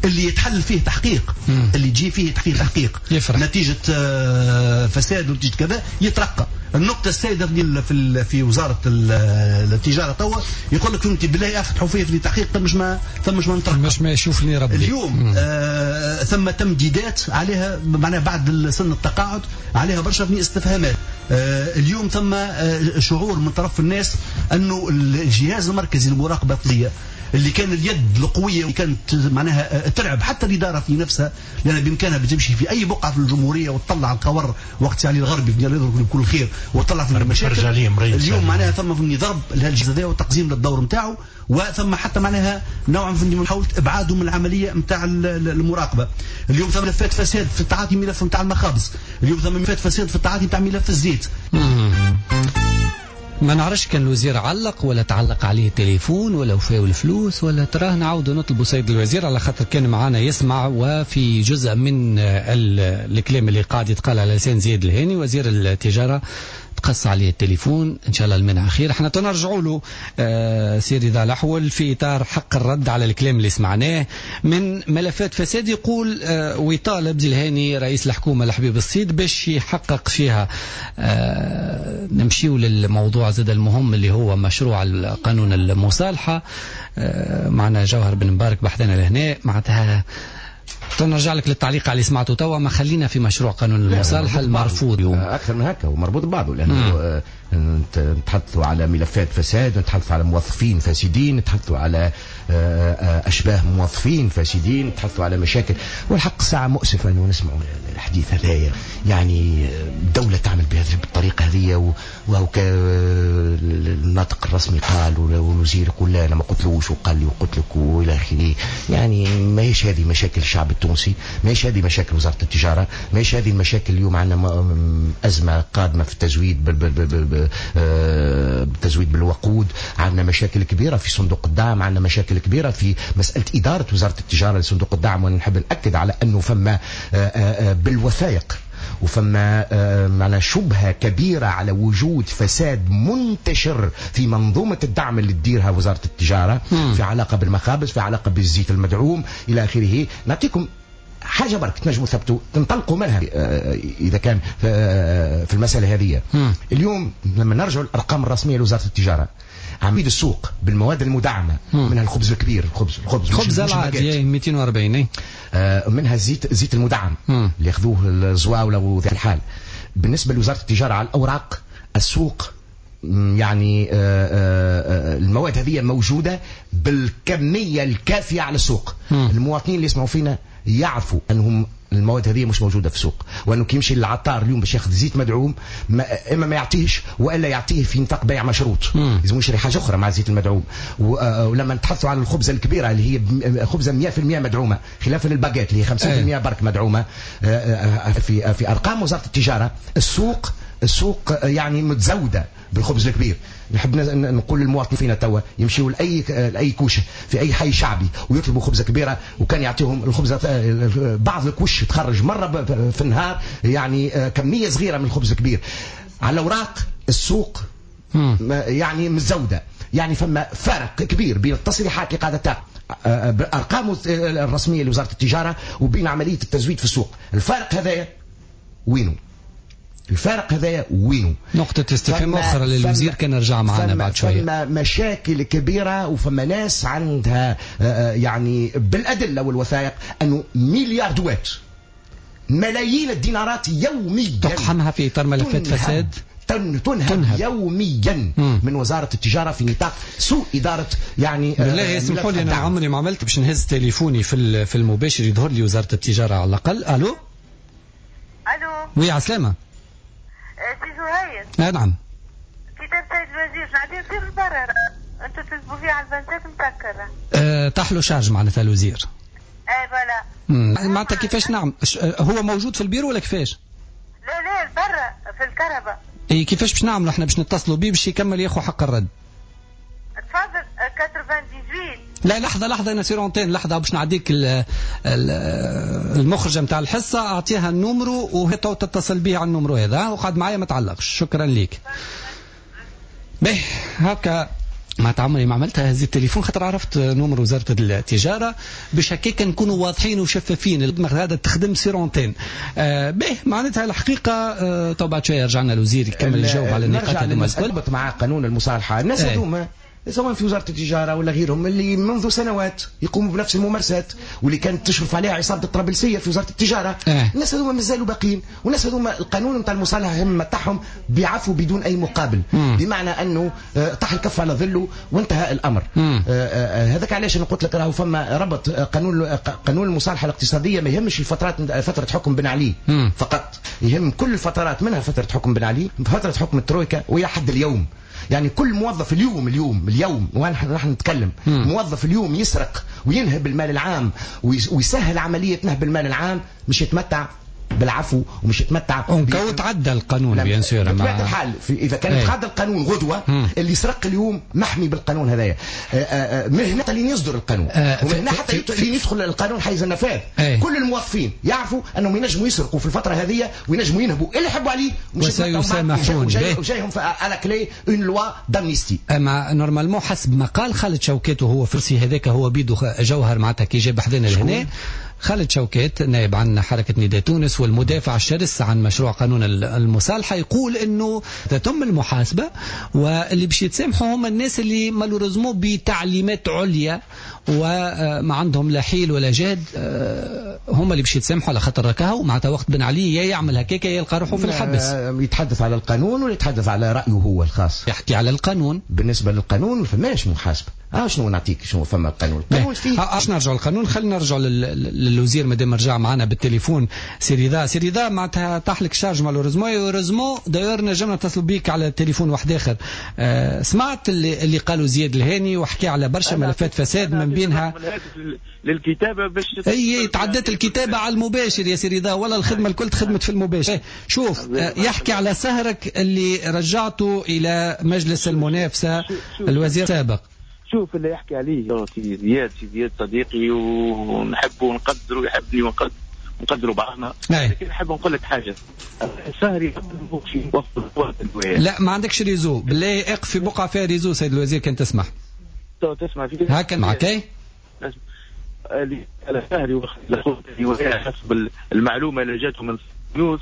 اللي يتحل فيه تحقيق، مم. اللي يجي فيه تحقيق تحقيق يفرح. نتيجة فساد ونتيجة كذا يترقى. النقطة السائدة في في وزارة التجارة توا يقول لك فهمتي بالله افتحوا فيه في تحقيق ثمش ما ثمش ما نترقى، مش ما يشوفني ربي. اليوم آه ثم تمديدات عليها معناها بعد سن التقاعد عليها برشا في استفهامات. آه اليوم ثم آه شعور من طرف الناس انه الجهاز المركزي للمراقبة الطبية اللي كان اليد القوية اللي كانت معناها تلعب حتى الإدارة في نفسها، لأن بإمكانها بتمشي في أي بقعة في الجمهورية وتطلع القور وقت علي الغربي يضرب بكل خير وتطلع في المشاكل. اليوم معناها ثم في ضرب لهالجهاز هذا وتقزيم للدور نتاعو، وثم حتى معناها نوع من محاولة إبعاده من العملية نتاع المراقبة. اليوم ثم ملفات فساد في التعاطي ملف نتاع المخابز، اليوم ثم ملفات فساد في التعاطي نتاع ملف الزيت. ما نعرفش كان الوزير علق ولا تعلق عليه التليفون ولا وفاو الفلوس ولا تراه. نعاودوا نطلبوا سيد الوزير على خاطر كان معانا يسمع، وفي جزء من الكلام اللي قاعد يتقال على لسان زياد الهاني وزير التجارة تقص عليه التليفون، ان شاء الله المنع خير. احنا تنرجعوا له آه سي رضا الأحول في اطار حق الرد على الكلام اللي سمعناه من ملفات فساد، يقول آه ويطالب الهاني رئيس الحكومة الحبيب الصيد باش يحقق فيها. آه نمشيو للموضوع زاد المهم اللي هو مشروع القانون المصالحة. آه معنا جوهر بن مبارك بحثنا لهنا، معناتها نرجع لك للتعليق على اللي سمعته توا. ما خلينا في مشروع قانون المصالحة المرفوض اليوم. أكثر من هكا ومربوط ببعضه، لأنه نتحدثوا على ملفات فساد، نتحدثوا على موظفين فاسدين، نتحدثوا على أشباه موظفين فاسدين، نتحدثوا على مشاكل. والحق الساعة مؤسفة أنه نسمعوا الحديث هذايا، يعني الدولة تعمل بهذه بالطريقة هذه، وهو الناطق الرسمي قال والوزير يقول لا أنا ما قلتلوش وقال لي وقلت لك وإلى آخره. يعني ماهيش هذه مشاكل الشعب التونسي، ماهيش هذه مشاكل وزارة التجارة، ماهيش هذه المشاكل. اليوم عندنا أزمة قادمة في التزويد بال بال بال بالتزويد بالوقود، عندنا مشاكل كبيرة في صندوق الدعم، عندنا مشاكل كبيرة في مسألة إدارة وزارة التجارة لصندوق الدعم. ونحب نأكد على أنه فما بالوثائق وفما معنا شبهة كبيرة على وجود فساد منتشر في منظومة الدعم اللي تديرها وزارة التجارة، م. في علاقة بالمخابز، في علاقة بالزيت المدعوم إلى آخره. نعطيكم حاجة برك تنجموا ثبتوا تنطلقوا منها إذا كان في المسألة هذه. اليوم لما نرجع الأرقام الرسمية لوزارة التجارة، عميد السوق بالمواد المدعمة، منها الخبز الكبير، الخبز الخبز الخبز العادي مئتين وأربعين، منها الزيت الزيت المدعم اللي ياخذوه الزواولة وذي الحال. بالنسبة لوزارة التجارة على الأوراق السوق يعني المواد هذه موجودة بالكمية الكافية على السوق. مم. المواطنين اللي يسمعوا فينا يعرفوا أنهم المواد هذه مش موجودة في السوق، وأنه كي يمشي للعطار اليوم باش ياخذ زيت مدعوم ما إما ما يعطيهش وإلا يعطيه في نطاق بيع مشروط، لازم يشري حاجة أخرى مع الزيت المدعوم. ولما نتحدثوا على الخبزة الكبيرة اللي هي خبزة مئة بالمئة مدعومة خلافا للباجيت اللي هي خمسين بالمئة برك مدعومة، في في أرقام وزارة التجارة السوق السوق يعني متزودة بالخبز الكبير. نحب نقول للمواطنين فينا توا يمشيوا لأي لأي كوشة في أي حي شعبي ويطلبوا خبزة كبيرة، وكان يعطيهم الخبزة بعض الكوش تخرج مرة في النهار يعني كمية صغيرة من الخبز الكبير. على الأوراق السوق يعني متزودة، يعني فما فرق كبير بين التصريحات اللي قاعدة بالأرقام الرسمية لوزارة التجارة وبين عملية التزويد في السوق. الفارق هذايا وينه؟ الفارق هذايا وينه؟ نقطة استفهام أخرى للوزير كان رجع معنا بعد شوية. فما مشاكل كبيرة وفما ناس عندها يعني بالأدلة والوثائق أنه مليار دوات ملايين الدينارات يوميا تقحمها في إطار ملفات فساد، تنهب, تنهب يوميا مم. من وزارة التجارة في نطاق سوء إدارة يعني. بالله يسمحوا لي أنا عمري ما عملت باش نهز تليفوني في في المباشر، يظهر لي وزارة التجارة على الأقل. ألو ألو oui عسلامة سي زهير. آه نعم. كتاب سيد الوزير نعدي تصير البرر انتم تكتبوا فيه على البنزات مسكرة. أه طاح له charge معناتها الوزير. اي voilà. معناتها كيفاش نعم؟ هو موجود في البيرو ولا كيفاش؟ لا لا برا في الكهرباء. اي كيفاش باش نعملوا احنا باش نتصلوا بيه باش يكمل ياخذ حق الرد؟ تفضل تسعة وثمانين. لا لحظة لحظة أنا sur antenne، لحظة باش نعديك المخرجة نتاع الحصة، أعطيها ال numéro وهي تتصل بيه على ال numéro هذا، وقعد معايا ما تعلقش. شكرا ليك. به هكا ما تعمري ما عملتها هزيت التليفون خاطر عرفت numéro وزارة التجارة باش هكاك نكونوا واضحين وشفافين. هذا تخدم sur antenne. آه به معناتها الحقيقة آه تو بعد شوية رجعنا الوزير يكمل يجاوب على النقاط هذوما الكل. مع قانون المصالحة الناس هذوما سواء في وزارة التجارة ولا غيرهم اللي منذ سنوات يقوموا بنفس الممارسات واللي كانت تشرف عليها عصابة الطرابلسية في وزارة التجارة. اه. الناس هذوما مازالوا باقيين، والناس هذوما القانون نتاع المصالحة هم تاعهم بيعفوا بدون أي مقابل. مم. بمعنى أنه طاح الكف على ظله وانتهى الأمر. هذاك علاش أنا قلت لك راهو فما ربط قانون قانون المصالحة الاقتصادية ما يهمش الفترات فترة حكم بن علي. مم. فقط، يهم كل الفترات منها فترة حكم بن علي، فترة حكم الترويكا وإلى حد اليوم. يعني كل موظف اليوم اليوم اليوم ونحن نحن نتكلم مم. موظف اليوم يسرق وينهب المال العام ويسهل عملية نهب المال العام مش يتمتع بالعفو ومش يتمتع. كو تعدى القانون bien sûr بطبيعة الحال اذا كان تعدى القانون غدوه مم. اللي سرق اليوم محمي بالقانون هذايا. من هنا حتى لين يصدر القانون آه ومن هنا حتى لين يدخل القانون حيز النفاذ. كل الموظفين يعرفوا انهم ينجموا يسرقوا في الفترة هذه وينجموا ينهبوا اللي يحبوا عليه وسيسامحون. وجايهم à la clé une loi d'amnistie. اما normalement حسب ما قال خالد شوكات وهو فرسي هذاك هو بيدو جوهر معناتها كي جاب حذانا لهنا خالد شوكات نائب عن حركة نداء تونس والمدافع الشرس عن مشروع قانون المصالحة يقول انه تتم المحاسبة واللي باش يتسامحوا هم الناس اللي malheureusement بتعليمات عليا وما عندهم لا حيل ولا جهد، هم اللي باش يتسامحوا على خاطر ركاهو معناتها وقت بن علي يا يعمل هكاك يا يلقى روحه في الحبس. يتحدث على القانون ولا يتحدث على رأيه هو الخاص؟ يحكي على القانون. بالنسبة للقانون ما فماش محاسبة. اه شنو نعطيك شنو فما القانون؟ القانون فيه اش نرجعوا للقانون، خلينا نرجعوا للوزير مادام رجع معنا بالتليفون. سي رضا، سي رضا معناتها طاح لك charge malheureusement heureusement d'ailleurs نجمنا نتصلوا بيك على التليفون واحد اخر. آه سمعت اللي, اللي قالوا زياد الهاني وحكى على برشا ملفات فساد من بينها للكتابة باش اي تعدت الكتابة على المباشر يا سي رضا، ولا الخدمة الكل تخدمت في المباشر. شوف يحكي على سهرك اللي رجعته الى مجلس المنافسة الوزير السابق. شوف اللي يحكي عليه سي زياد، سي زياد صديقي ونحبه ونقدره ويحبني ونقدر نقدروا بعضنا، لكن نحب نقول لك حاجة. سهري لا ما عندكش réseau، بالله اقف في بقعة فيها réseau سيد الوزير كان تسمح. تسمع في هكا معك اي على سهري حسب المعلومة اللي جاته من نيوز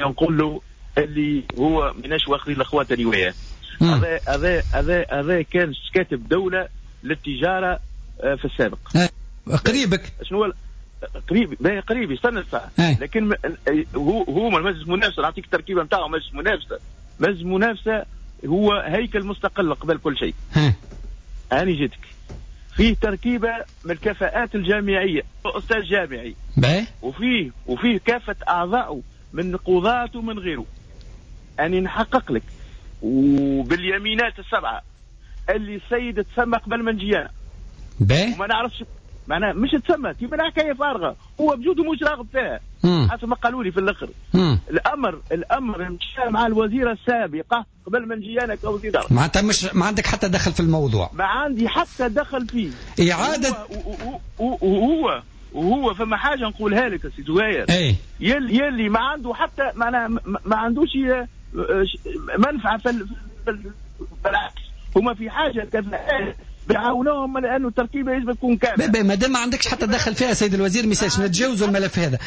نقول له اللي هو مناش واخذين الاخوات روايات. هذا هذا هذا هذا كان كاتب دولة للتجارة في السابق. قريبك شنو قريب؟ قريب استنى الساعة. لكن هو هو مجلس المنافسة، نعطيك التركيبة نتاعو. مجلس المنافسة، مجلس المنافسة هو هيكل مستقل قبل كل شيء. أنا جيتك فيه تركيبة من الكفاءات الجامعية، أستاذ جامعي باي. وفيه وفيه كافة أعضائه من قضاة ومن غيره. أنا نحقق لك وباليمينات السبعة اللي السيد تسمى قبل ما نجي أنا. وما نعرفش معناها مش تسمى كيما حكاية فارغة، هو بجوده مش راغب فيها حسب ما قالوا لي في الاخر. مم. الامر الامر مشى مع الوزيرة السابقة قبل ما نجي انا كوزير. معناتها مش ما عندك حتى دخل في الموضوع. ما عندي حتى دخل فيه. اعاده وهو وهو فما حاجة نقولها لك سي زهير. اي يلي, يلي ما عنده حتى معناها ما عندوش منفعه في بالعكس هما في حاجة كفاءات بيعاونوهم لانه التركيبة يجب تكون كاملة. ما دام ما عندكش حتى دخل فيها سيد الوزير ميساش نتجاوزوا الملف هذا.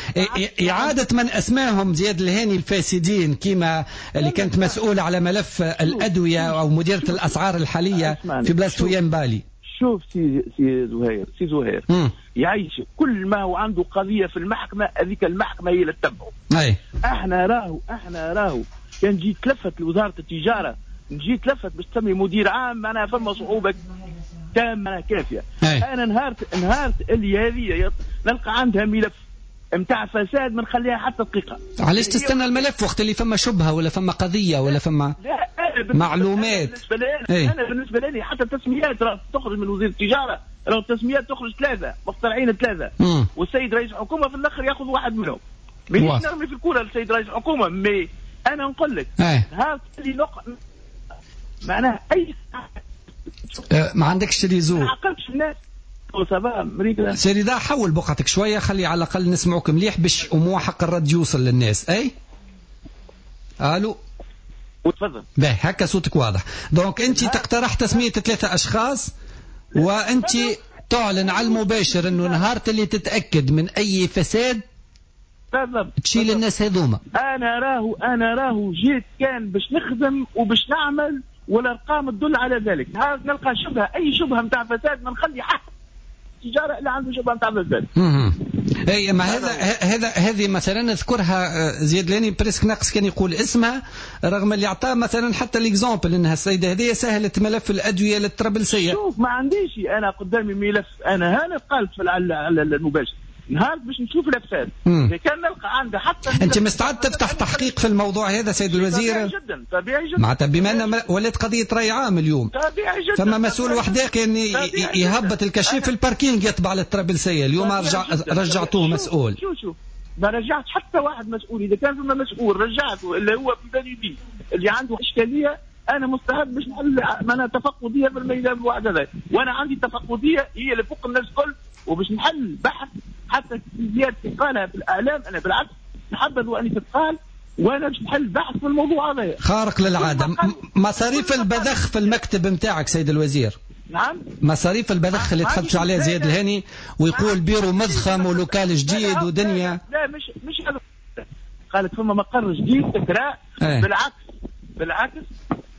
اعاده من اسماهم زياد الهاني الفاسدين كما اللي كانت مسؤولة على ملف الادوية او مديره الاسعار الحالية في بلاصة ويام بالي. شوف سي سي زهير، سي زهير يعيش كل ما هو عنده قضية في المحكمة هذيك المحكمة هي اللي تتبعه. احنا راهو احنا راهو كان جيت تلفت لوزارة التجارة، نجي تلفت باش تسمي مدير عام معناها فما صعوبة تامة كافيه. أي. انا نهارت نهارت اللي هذه نلقى عندها ملف نتاع فساد ما نخليها حتى دقيقة. علاش تستنى الملف وقت اللي فما شبهه ولا فما قضية ولا فما لا أنا معلومات؟ بالنسبة لي انا بالنسبة لي حتى التسميات راه تخرج من وزير التجارة، راه التسميات تخرج ثلاثة مخترعين ثلاثة، والسيد رئيس الحكومة في الاخر ياخذ واحد منهم. مانيش نرمي في الكره للسيد رئيس الحكومة، mais انا نقول لك نهار اللي نق... معناها اي أه ما عندكش réseau. ما عقلتش الناس ça va مريقلة. سي رضا حول بقعتك شوية خلي على الاقل نسمعوك مليح باش امو حق الرد يوصل للناس. اي الو وتفضل. باهي هكا صوتك واضح. donc انت تقترح تسميه ثلاثة اشخاص وانت تعلن على المباشر انه نهار اللي تتاكد من اي فساد بالضبط تشيل الناس هذوما. انا راهو انا راهو جيت كان باش نخدم وباش نعمل والارقام تدل على ذلك. هذا نلقى شبهه اي شبهه نتاع فساد ما نخلي حق التجارة اللي عنده شبهه نتاع فساد. اي ما هذا هذا هذه مثلا نذكرها زياد لاني presque ناقص كان يقول اسمها رغم اللي اعطاه مثلا حتى l'exemple انها السيدة هذه سهلت ملف الادوية للطرابلسيه. شوف ما عنديش انا قدامي ملف، انا هنا قالت في على المباشر نهار باش نشوف الافساد اذا كان نلقى عندها حتى. انت مستعد تفتح تحقيق في الموضوع هذا سيد الوزير؟ طبيعي جدا طبيعي جدا. معناتها بما ان ولات قضية راي عام اليوم طبيعي جدا. فما مسؤول وحده كان يهبط ال cachet في ال parking يتبع للطرابلسيه اليوم رجع رجعتوه مسؤول. شوف شوف ما رجعت حتى واحد مسؤول. اذا كان فما مسؤول رجعته اللي هو في بالي بيه اللي عنده اشكالية، انا مستعد باش نحل معناها تفقديه في الميدان الواحد هذا، وانا عندي تفقديه هي اللي فوق الناس الكل، وباش نحل بحث حتى زيادة تقالها في الاعلام. انا بالعكس نحبذ واني تتقال، وانا باش نحل بحث في الموضوع هذا. خارق للعادة. مصاريف البذخ في المكتب نتاعك سيد الوزير. نعم، مصاريف البذخ اللي تحدث عليها زياد الهاني ويقول بيرو مضخم و local جديد ودنيا. لا مش مش هذا، قالت فما مقر جديد تكراء. ايه. بالعكس بالعكس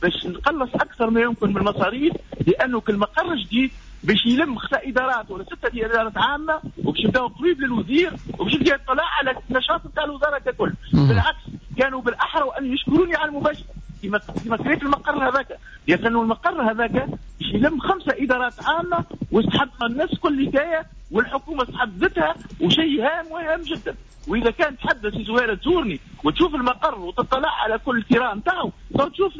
باش نقلص اكثر ما يمكن من المصاريف، لانه كل مقر جديد باش يلم خمسة ادارات ولا ستة ادارات عامة، وباش يبداو قريب للوزير، وباش يبدا يطلع على النشاط نتاع الوزارة ككل. بالعكس كانوا بالاحرى وان يشكروني على المباشرة كما كما كريت المقر هذاك، لانه المقر هذاك باش يلم خمسة ادارات عامة واستحق الناس كل حكاية، والحكومة استحدثتها، وشيء هام وهام جدا. واذا كان تحدث زهيره تزورني وتشوف المقر وتطلع على كل الكراء نتاعو، تشوف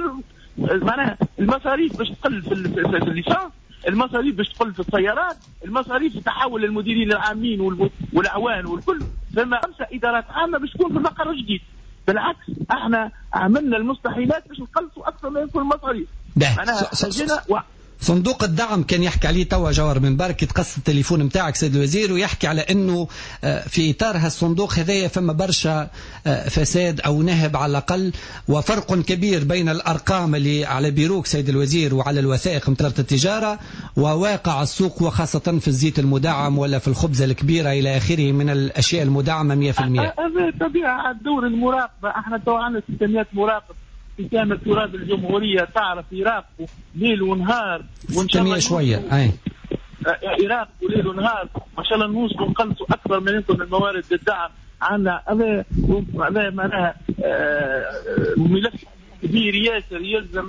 معناها المصاريف باش تقل في ال essence، المصاريف باش تقل في السيارات، المصاريف تحول للمديرين العامين والاعوان والكل. ثم خمسة ادارات عامة باش تكون في المقر الجديد. بالعكس احنا عملنا المستحيلات باش نقلصوا اكثر ما يمكن المصاريف. معناها صندوق الدعم كان يحكي عليه توا جوهر من بارك، يتقص التليفون نتاعك سيد الوزير، ويحكي على انه في اطار هالصندوق هذايا فما برشا فساد او نهب على الاقل، وفرق كبير بين الارقام اللي على بيروك سيد الوزير وعلى الوثائق نتاع التجارة وواقع السوق، وخاصة في الزيت المدعم ولا في الخبزة الكبيرة الى اخره من الاشياء المدعمه مية في المية. هذا طبيعة دور المراقبة. احنا تو عندنا ستمية مراقب في كامل تراب الجمهورية، تعرف يراقبوا ليل ونهار، وإن شاء الله شوية أي يراقبوا ليل ونهار، وإن شاء الله نوصلوا نقلصوا أكثر ما يمكن الموارد للدعم. عندنا هذا هذا معناها ملف كبير ياسر، يلزم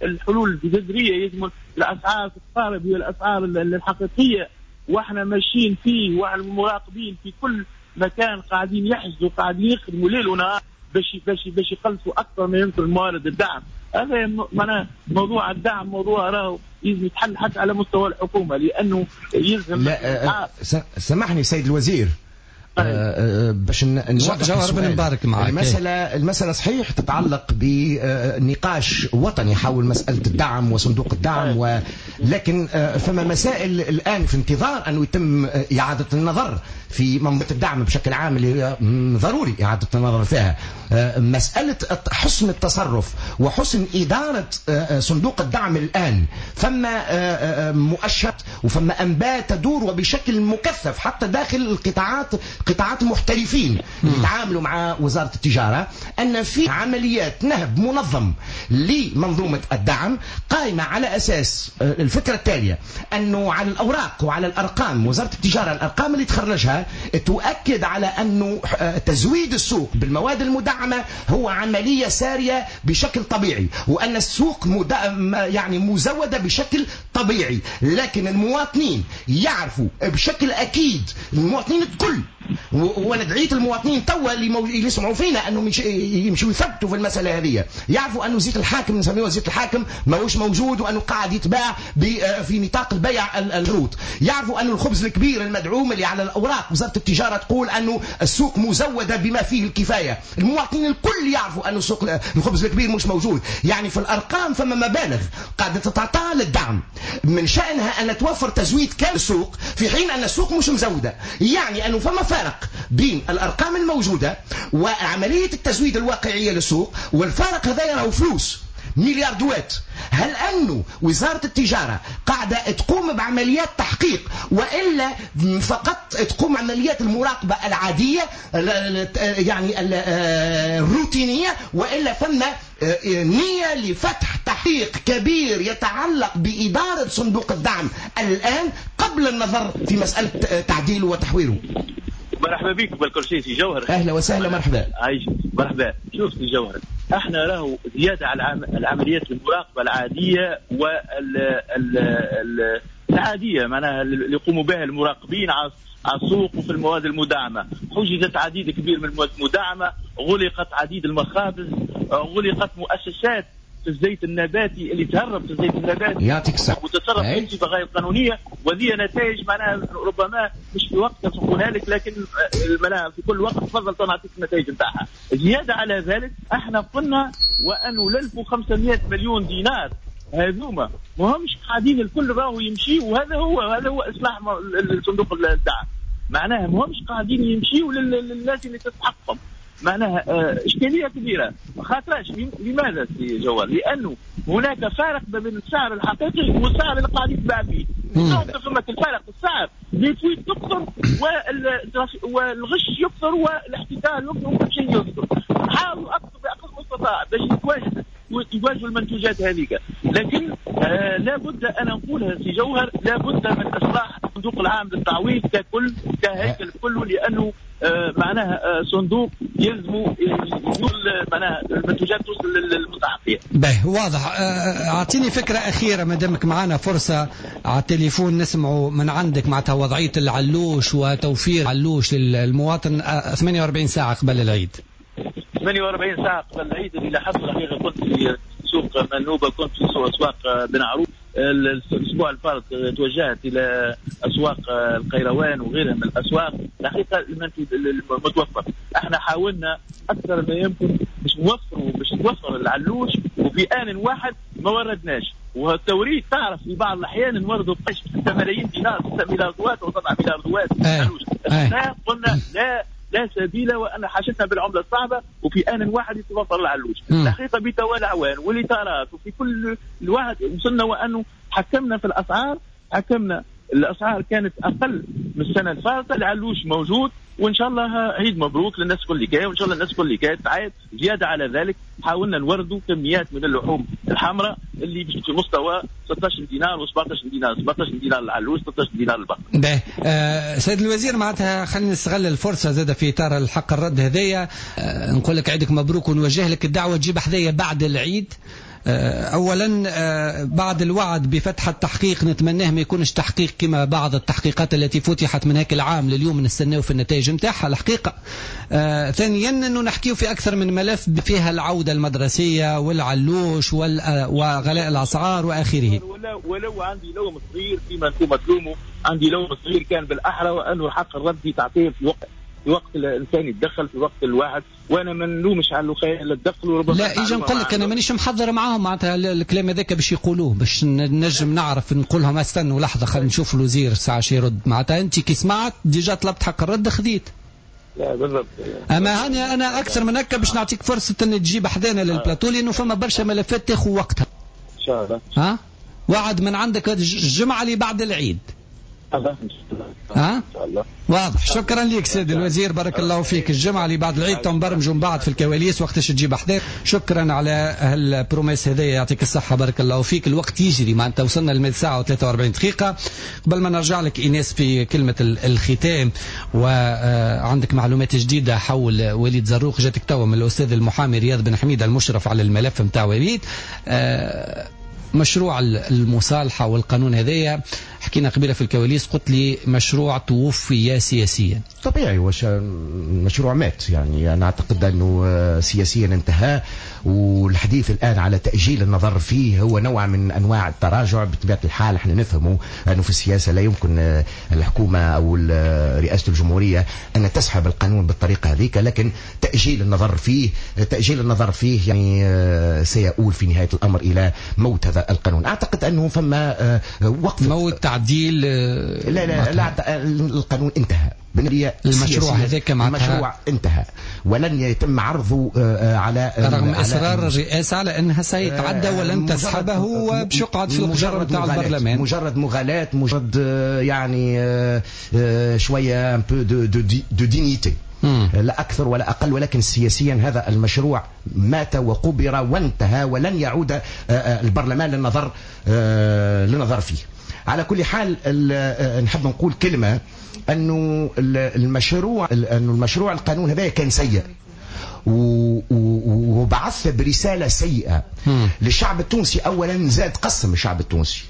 الحلول الجذرية، يلزم الأسعار تتقارب هي الأسعار الحقيقية، وإحنا ماشيين فيه، والمراقبين في كل مكان قاعدين يحجزوا، قاعدين يخدموا ليل ونهار باش باش باش يقلصوا اكثر ما يمكن موارد الدعم. هذا معناه موضوع الدعم موضوع راهو يلزم يتحل حتى على مستوى الحكومة، لانه يلزم. لا سامحني سيد الوزير، آه باش نوضح جوهر بن مبارك معك. المسألة المسألة صحيح تتعلق بنقاش وطني حول مسألة الدعم وصندوق الدعم، ولكن فما مسائل الآن في انتظار أنه يتم إعادة النظر في منظومة الدعم بشكل عام، اللي ضروري إعادة النظر فيها. مسألة حسن التصرف وحسن إدارة صندوق الدعم الآن، فما مؤشرات وفما أنباء تدور وبشكل مكثف حتى داخل القطاعات، قطاعات المحترفين اللي يتعاملوا مع وزارة التجارة، أن في عمليات نهب منظم لمنظومة الدعم قائمة على أساس الفكرة التالية، أنه على الأوراق وعلى الأرقام وزارة التجارة الأرقام اللي تخرجها تؤكد على أنه تزويد السوق بالمواد المدعمة هو عملية سارية بشكل طبيعي، وأن السوق يعني مزودة بشكل طبيعي، لكن المواطنين يعرفوا بشكل أكيد، المواطنين الكل، وانا دعيت المواطنين توا اللي, مو... اللي يسمعوا فينا انهم يمشوا يثبتوا في المسالة هذه، يعرفوا انه زيت الحاكم نسميه زيت الحاكم ماهوش موجود، وانه قاعد يتباع ب... في نطاق البيع الروت، يعرفوا انه الخبز الكبير المدعوم اللي على الاوراق وزارة التجارة تقول انه السوق مزوده بما فيه الكفاية، المواطنين الكل يعرفوا انه السوق الخبز الكبير مش موجود. يعني في الارقام فما مبالغ قاعدة تتعطى للدعم من شانها ان توفر تزويد كامل السوق، في حين ان السوق مش مزوده، يعني انه فما فارق بين الأرقام الموجودة وعملية التزويد الواقعية للسوق، والفارق هذا يراه فلوس مليار دوات. هل أنه وزارة التجارة قاعدة تقوم بعمليات تحقيق، وإلا فقط تقوم عمليات المراقبة العادية يعني الروتينية، وإلا فما نية لفتح تحقيق كبير يتعلق بإدارة صندوق الدعم الآن قبل النظر في مسألة تعديله وتحويله؟ مرحبا بك بالكل شيء سي جوهر. اهلا وسهلا، مرحبا. عايش مرحبا. شوف سي جوهر، احنا راهو زيادة على العمليات المراقبة العادية وال ال العادية معناها اللي يقوموا بها المراقبين على السوق وفي المواد المدعمه، حجزت عديد كبير من المواد المدعمه، غلقت عديد المخابز، غلقت مؤسسات في الزيت النباتي اللي تهرب في الزيت النباتي يعطيك الصحة وتتصرف بصفة غير قانونية، وذي نتائج معناها ربما مش في وقتها نقولها لك، لكن معناها في كل وقت تفضل نعطيك النتائج نتاعها. زيادة على ذلك احنا قلنا وانه ألف وخمسمائة مليون دينار هذوما ما همش قاعدين الكل راهو يمشي، وهذا هو هذا هو اصلاح صندوق الدعم، معناها ما همش قاعدين يمشيوا للناس اللي تستحقهم، معناها اشكالية كبيرة. خاطرش لماذا سي جوار؟ لانه هناك فارق ما بين السعر الحقيقي والسعر اللي قاعد يتباع به. فما الفارق السعر les fuites تكثر والغش يكثر والاحتكار يكثر وكل شيء يكثر. حاولوا اكثر باقصى المستطاع باش يتواجد يواجهوا المنتوجات هذيك، لكن آه لابد انا نقولها سي جوهر، لابد من اصلاح الصندوق العام للتعويض ككل كهيكل كله، لانه آه معناها آه صندوق يلزموا معناها المنتوجات توصل للمستحقين. باهي واضح. اعطيني فكرة اخيرة ما دامك معنا فرصة على التليفون نسمعوا من عندك معناتها وضعية العلوش وتوفير علوش للمواطن ثمانية وأربعين ساعة قبل العيد. ثمانية وأربعين ساعة قبل العيد اللي لاحظت الحقيقة كنت في سوق منوبة، كنت في سوق أسواق بن عروس الأسبوع الفارط، توجهت إلى أسواق القيروان وغيرها من الأسواق. الحقيقة المتوفر احنا حاولنا أكثر ما يمكن باش نوفروا باش نوفر العلوش، وفي آن واحد ما وردناش. والتوريد تعرف في بعض الأحيان نوردوا بقش ستة ملايين دينار، ستة مليار دوات وسبعة مليار دوات علوش. قلنا لا لا سبيل وأن حاجتنا بالعملة الصعبة، وفي آن واحد يتوفر العلوش. الحقيقة بتوالى أعوان والإطارات وفي كل الواحد وصلنا وأنه حكمنا في الأسعار، حكمنا الأسعار كانت أقل من السنة الفاتة. العلوش موجود، وإن شاء الله عيد مبروك للناس كل كاي، وإن شاء الله الناس كل كاي تعايد. زيادة على ذلك حاولنا نوردوا كميات من اللحوم الحمراء اللي في مستوى ستة عشر دينار وسبعة عشر دينار، سبعة عشر دينار العلوش، ستة عشر دينار البقر. باهي آه سيد الوزير، معناتها خلينا نستغل الفرصة زادة في إطار الحق الرد هذايا، آه نقول لك عيدك مبروك ونوجه لك الدعوة تجيب حذايا بعد العيد. أولا بعد الوعد بفتح التحقيق نتمناه ما يكونش تحقيق كما بعض التحقيقات التي فتحت من هيك العام لليوم نستناو في النتائج نتاعها الحقيقة. ثانيا أنه نحكيو في أكثر من ملف فيها العودة المدرسية والعلوش وغلاء الأسعار وآخره. ولو, ولو عندي لوم صغير فيما أنتم تلوموا، عندي لوم صغير كان بالأحرى وأنه الحق الردي تعطيه في وقت في وقت الانسان يتدخل في وقت الواحد، وانا ما نلومش على الخيال اللي تدخلوا ربما. لا اجي نقول لك انا مانيش محضر معاهم معناتها الكلام هذاك باش يقولوه باش نجم نعرف نقول لهم استنوا لحظة خلينا نشوف الوزير ساعة شي يرد. معناتها انت كي سمعت déjà طلبت حق الرد خذيت. لا بالضبط. اما انا انا اكثر من هكا باش نعطيك فرصة ان تجيب حذانا للبلاتو لانه فما برشا ملفات تاخذ وقتها. ان شاء الله. ها وعد من عندك الجمعة اللي بعد العيد. ها؟ إن شاء الله. واضح. شكرا لك سيد الوزير، بارك الله فيك. الجمعة اللي بعد العيد تنبرمجوا من بعد في الكواليس وقتاش تجيب حذاك. شكرا على هال promesse هذايا، يعطيك الصحة بارك الله فيك. الوقت يجري معناتها وصلنا لمئة ساعة وثلاثة وأربعين دقيقة. قبل ما نرجع لك إيناس في كلمة الختام، وعندك معلومات جديدة حول وليد زروق جاتك توا من الأستاذ المحامي رياض بن حميد المشرف على الملف نتاع وليد. مشروع المصالحة والقانون هذايا حكينا قبيلة في الكواليس، قلت لي مشروع توفي سياسيا. طبيعي، وش مشروع مات يعني. أنا أعتقد أنه سياسيا انتهى، والحديث الآن على تأجيل النظر فيه هو نوع من أنواع التراجع. بطبيعة الحال احنا نفهمه أنه في السياسة لا يمكن الحكومة أو رئاسة الجمهورية أن تسحب القانون بالطريقة هذيك، لكن تأجيل النظر فيه تأجيل النظر فيه يعني سيؤول في نهاية الأمر إلى موت هذا القانون. أعتقد أنه فما وقف موت تعديل. لا لا لا، القانون انتهى. المشروع هذاك معناتها المشروع انتهى ولن يتم عرضه على رغم اصرار الرئاسة على انها سيتعدى ولن تسحبه وباش يقعد في القجر نتاع البرلمان. مجرد مغالاة، مجرد يعني شوية un peu de de dignité، لا أكثر ولا أقل. ولكن سياسيا هذا المشروع مات وقبر وانتهى، ولن يعود البرلمان للنظر للنظر فيه. على كل حال نحب نقول كلمة أنه المشروع أنه المشروع القانون هذا كان سيء، وبعث برسالة سيئة للشعب التونسي. أولا زاد قسم الشعب التونسي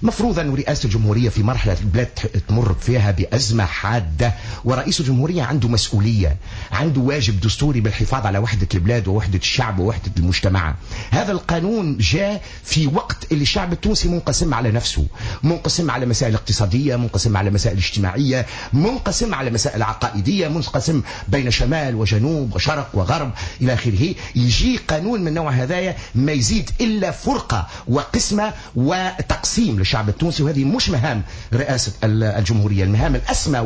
مفروض أن رئاسة الجمهورية في مرحلة البلاد تمر فيها بأزمة حادة، ورئيس الجمهورية عنده مسؤولية، عنده واجب دستوري بالحفاظ على وحدة البلاد ووحدة الشعب ووحدة المجتمع. هذا القانون جاء في وقت اللي الشعب التونسي منقسم على نفسه، منقسم على مسائل اقتصادية، منقسم على مسائل اجتماعية، منقسم على مسائل عقائدية، منقسم بين شمال وجنوب وشرق وغرب إلى آخره. يجي قانون من نوع هذايا ما يزيد إلا فرقة وقسمة وتقسيم للشعب التونسي، وهذه مش مهام رئاسة الجمهورية. المهام الأسمى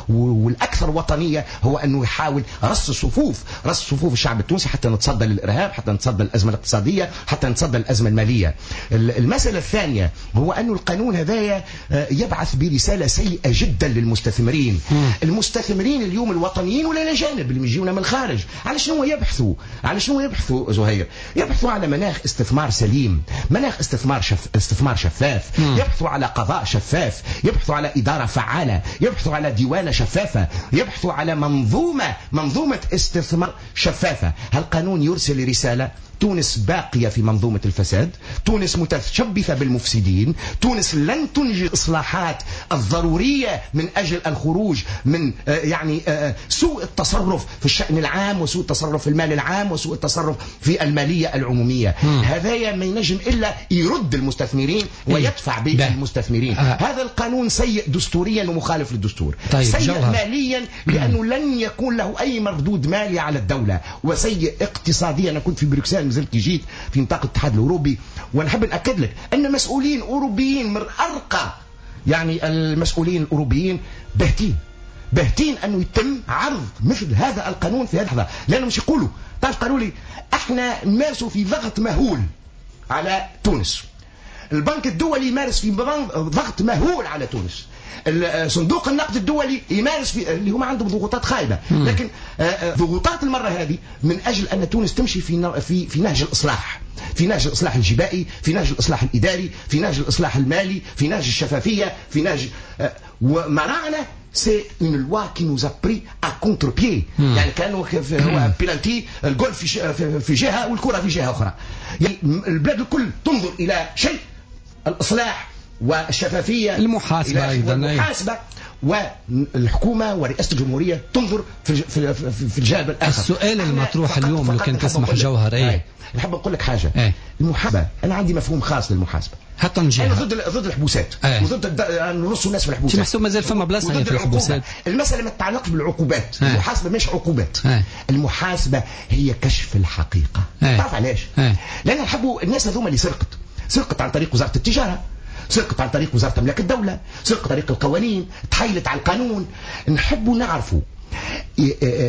والأكثر وطنية هو أنه يحاول رص صفوف، رص صفوف الشعب التونسي حتى نتصدى للإرهاب، حتى نتصدى للأزمة الاقتصادية، حتى نتصدى للأزمة المالية. المسألة الثانية هو أن القانون هذايا يبعث برسالة سيئة جدا للمستثمرين. المستثمرين اليوم الوطنيين ولا الأجانب اللي يجيونا من الخارج، على شنو يبحثوا؟ على شنو يبحثوا زهير؟ يبحثوا على مناخ استثمار سليم، مناخ استثمار شف... استثمار شفاف، مم. يبحثوا على قضاء شفاف، يبحثوا على إدارة فعالة، يبحثوا على ديوانة شفافة، يبحثوا على منظومة منظومة استثمار شفافة. هالقانون يرسل رسالة تونس باقية في منظومة الفساد، تونس متشبثة بالمفسدين، تونس لن تنجز الإصلاحات الضرورية من أجل الخروج من يعني سوء التصرف في الشأن العام وسوء التصرف في المال العام وسوء التصرف في المالية العمومية. هذايا ما ينجم إلا يرد المستثمرين ويدفع بالمستثمرين. آه. هذا القانون سيء دستوريا ومخالف للدستور. طيب سيء جوهر. ماليا لأنه لن يكون له أي مردود مالي على الدولة، وسيء اقتصاديا. أنا كنت في بروكسل مازلت جيت في نطاق الاتحاد الأوروبي، ونحب نأكد لك أن مسؤولين أوروبيين من أرقى يعني المسؤولين الأوروبيين باهتين باهتين أنه يتم عرض مثل هذا القانون في هذه اللحظة، لأنهم مش يقولوا تعرف قالوا لي احنا نمارسوا في ضغط مهول على تونس، البنك الدولي يمارس في ضغط مهول على تونس، صندوق النقد الدولي يمارس في اللي هم عندهم ضغوطات خايبة، لكن ضغوطات المرة هذه من اجل ان تونس تمشي في في في نهج الاصلاح، في نهج الاصلاح الجبائي، في نهج الاصلاح الاداري، في نهج الاصلاح المالي، في نهج الشفافية، في نهج ومراعنا. c'est une loi qui nous a pris à contre-pied. يعني كانوا هو بيلانتي الجول في في جهة والكره في جهة اخرى. يعني البلاد الكل تنظر الى شيء الاصلاح والشفافيه المحاسبة ايضا المحاسبة، والحكومة ورئاسه الجمهورية تنظر في في في الجانب الاخر. السؤال المطروح اليوم لو كان تسمح جوهر، ايه نحب نقول لك حاجة. ايه؟ المحاسبة انا عندي مفهوم خاص للمحاسبة. حتى نجيها. انا ضد ضد الحبوسات. ايه؟ وضد نرصوا الناس في الحبوسات. محسوب مازال فما بلاصة في الحبوسات. المسالة ما تتعلقش بالعقوبات. ايه؟ المحاسبة مش عقوبات. ايه؟ المحاسبة هي كشف الحقيقة. ايه؟ تعرف علاش؟ ايه؟ لان نحبوا الناس هذوما اللي سرقت، سرقت عن طريق وزارة التجارة، سرقت عن طريق وزارة أملاك الدولة، سرقت طريق القوانين، تحايلت على القانون. نحبوا نعرفوا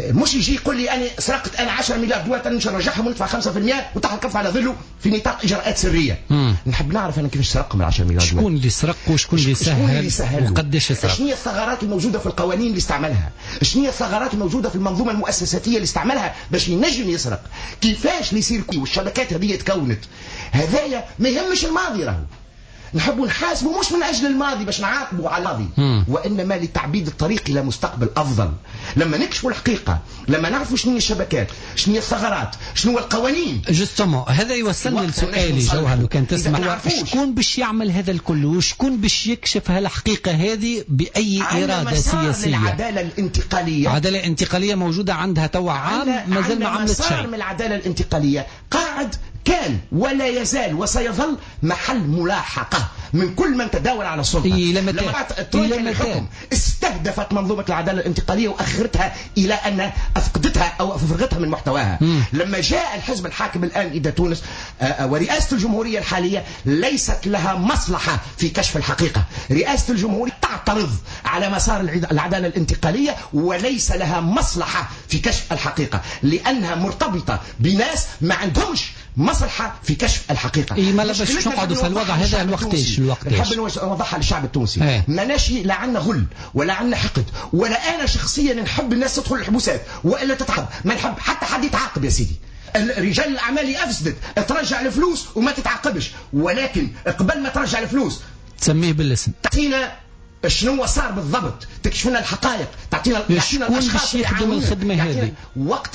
مش يجي يقول لي أنا سرقت أنا عشرة مليار دولار أنا مش نرجعهم وندفع خمسة بالمئة وتحت الكف على ظله في نطاق إجراءات سرية. مم. نحب نعرف أنا كيفاش سرقهم ال عشرة مليار دولار، شكون اللي سرق وشكون اللي سهل, سهل وقداش سرق، شنو هي الثغرات الموجودة في القوانين اللي استعملها، شنو هي الثغرات الموجودة في المنظومة المؤسساتية اللي استعملها باش ينجم يسرق، كيفاش اللي يصير والشبكات هذه تكونت. هذايا ما يهمش الماضي، راهو نحبوا نحاسبوا مش من أجل الماضي باش نعاقبوا على الماضي، وإنما لتعبيد الطريق إلى مستقبل أفضل. لما نكشفوا الحقيقة، لما نعرفوا شنو هي الشبكات، شنو هي الثغرات، شنو هو القوانين. justement هذا يوصلني لسؤالي جوهر لو كان تسمح، شكون باش يعمل هذا الكل وشكون باش يكشف هالحقيقة هذه بأي إرادة سياسية؟ العدالة الانتقالية، العدالة الانتقالية موجودة عندها توا عام مازال ما عملت شيء. من العدالة الانتقالية قاعد كان ولا يزال وسيظل محل ملاحقة من كل من تداول على السلطة. إلى متى؟ إلى متى؟ استهدفت منظومة العدالة الانتقالية وأخرتها إلى أن أفقدتها أو أفرغتها من محتواها. مم. لما جاء الحزب الحاكم الآن إلى تونس ورئاسة الجمهورية الحالية ليست لها مصلحة في كشف الحقيقة. رئاسة الجمهورية تعترض على مسار العدالة الانتقالية وليس لها مصلحة في كشف الحقيقة، لأنها مرتبطة بناس ما عندهمش مصلحة في كشف الحقيقة. إيه ما لا باش نقعدوا في الوضع هذا الوقتاش الوقتاش نحب نوضحها للشعب التونسي. ايه؟ ماناش لا عندنا غل ولا عندنا حقد، ولا أنا شخصيا نحب الناس تدخل الحبوسات وإلا تتعب، ما نحب حتى حد يتعاقب يا سيدي. رجال الأعمال أفسدت ترجع الفلوس وما تتعاقبش، ولكن قبل ما ترجع الفلوس تسميه بالاسم، تعطينا شنو صار بالضبط، تكشف لنا الحقائق، تعطينا شكون باش يخدم الخدمة هذه وقت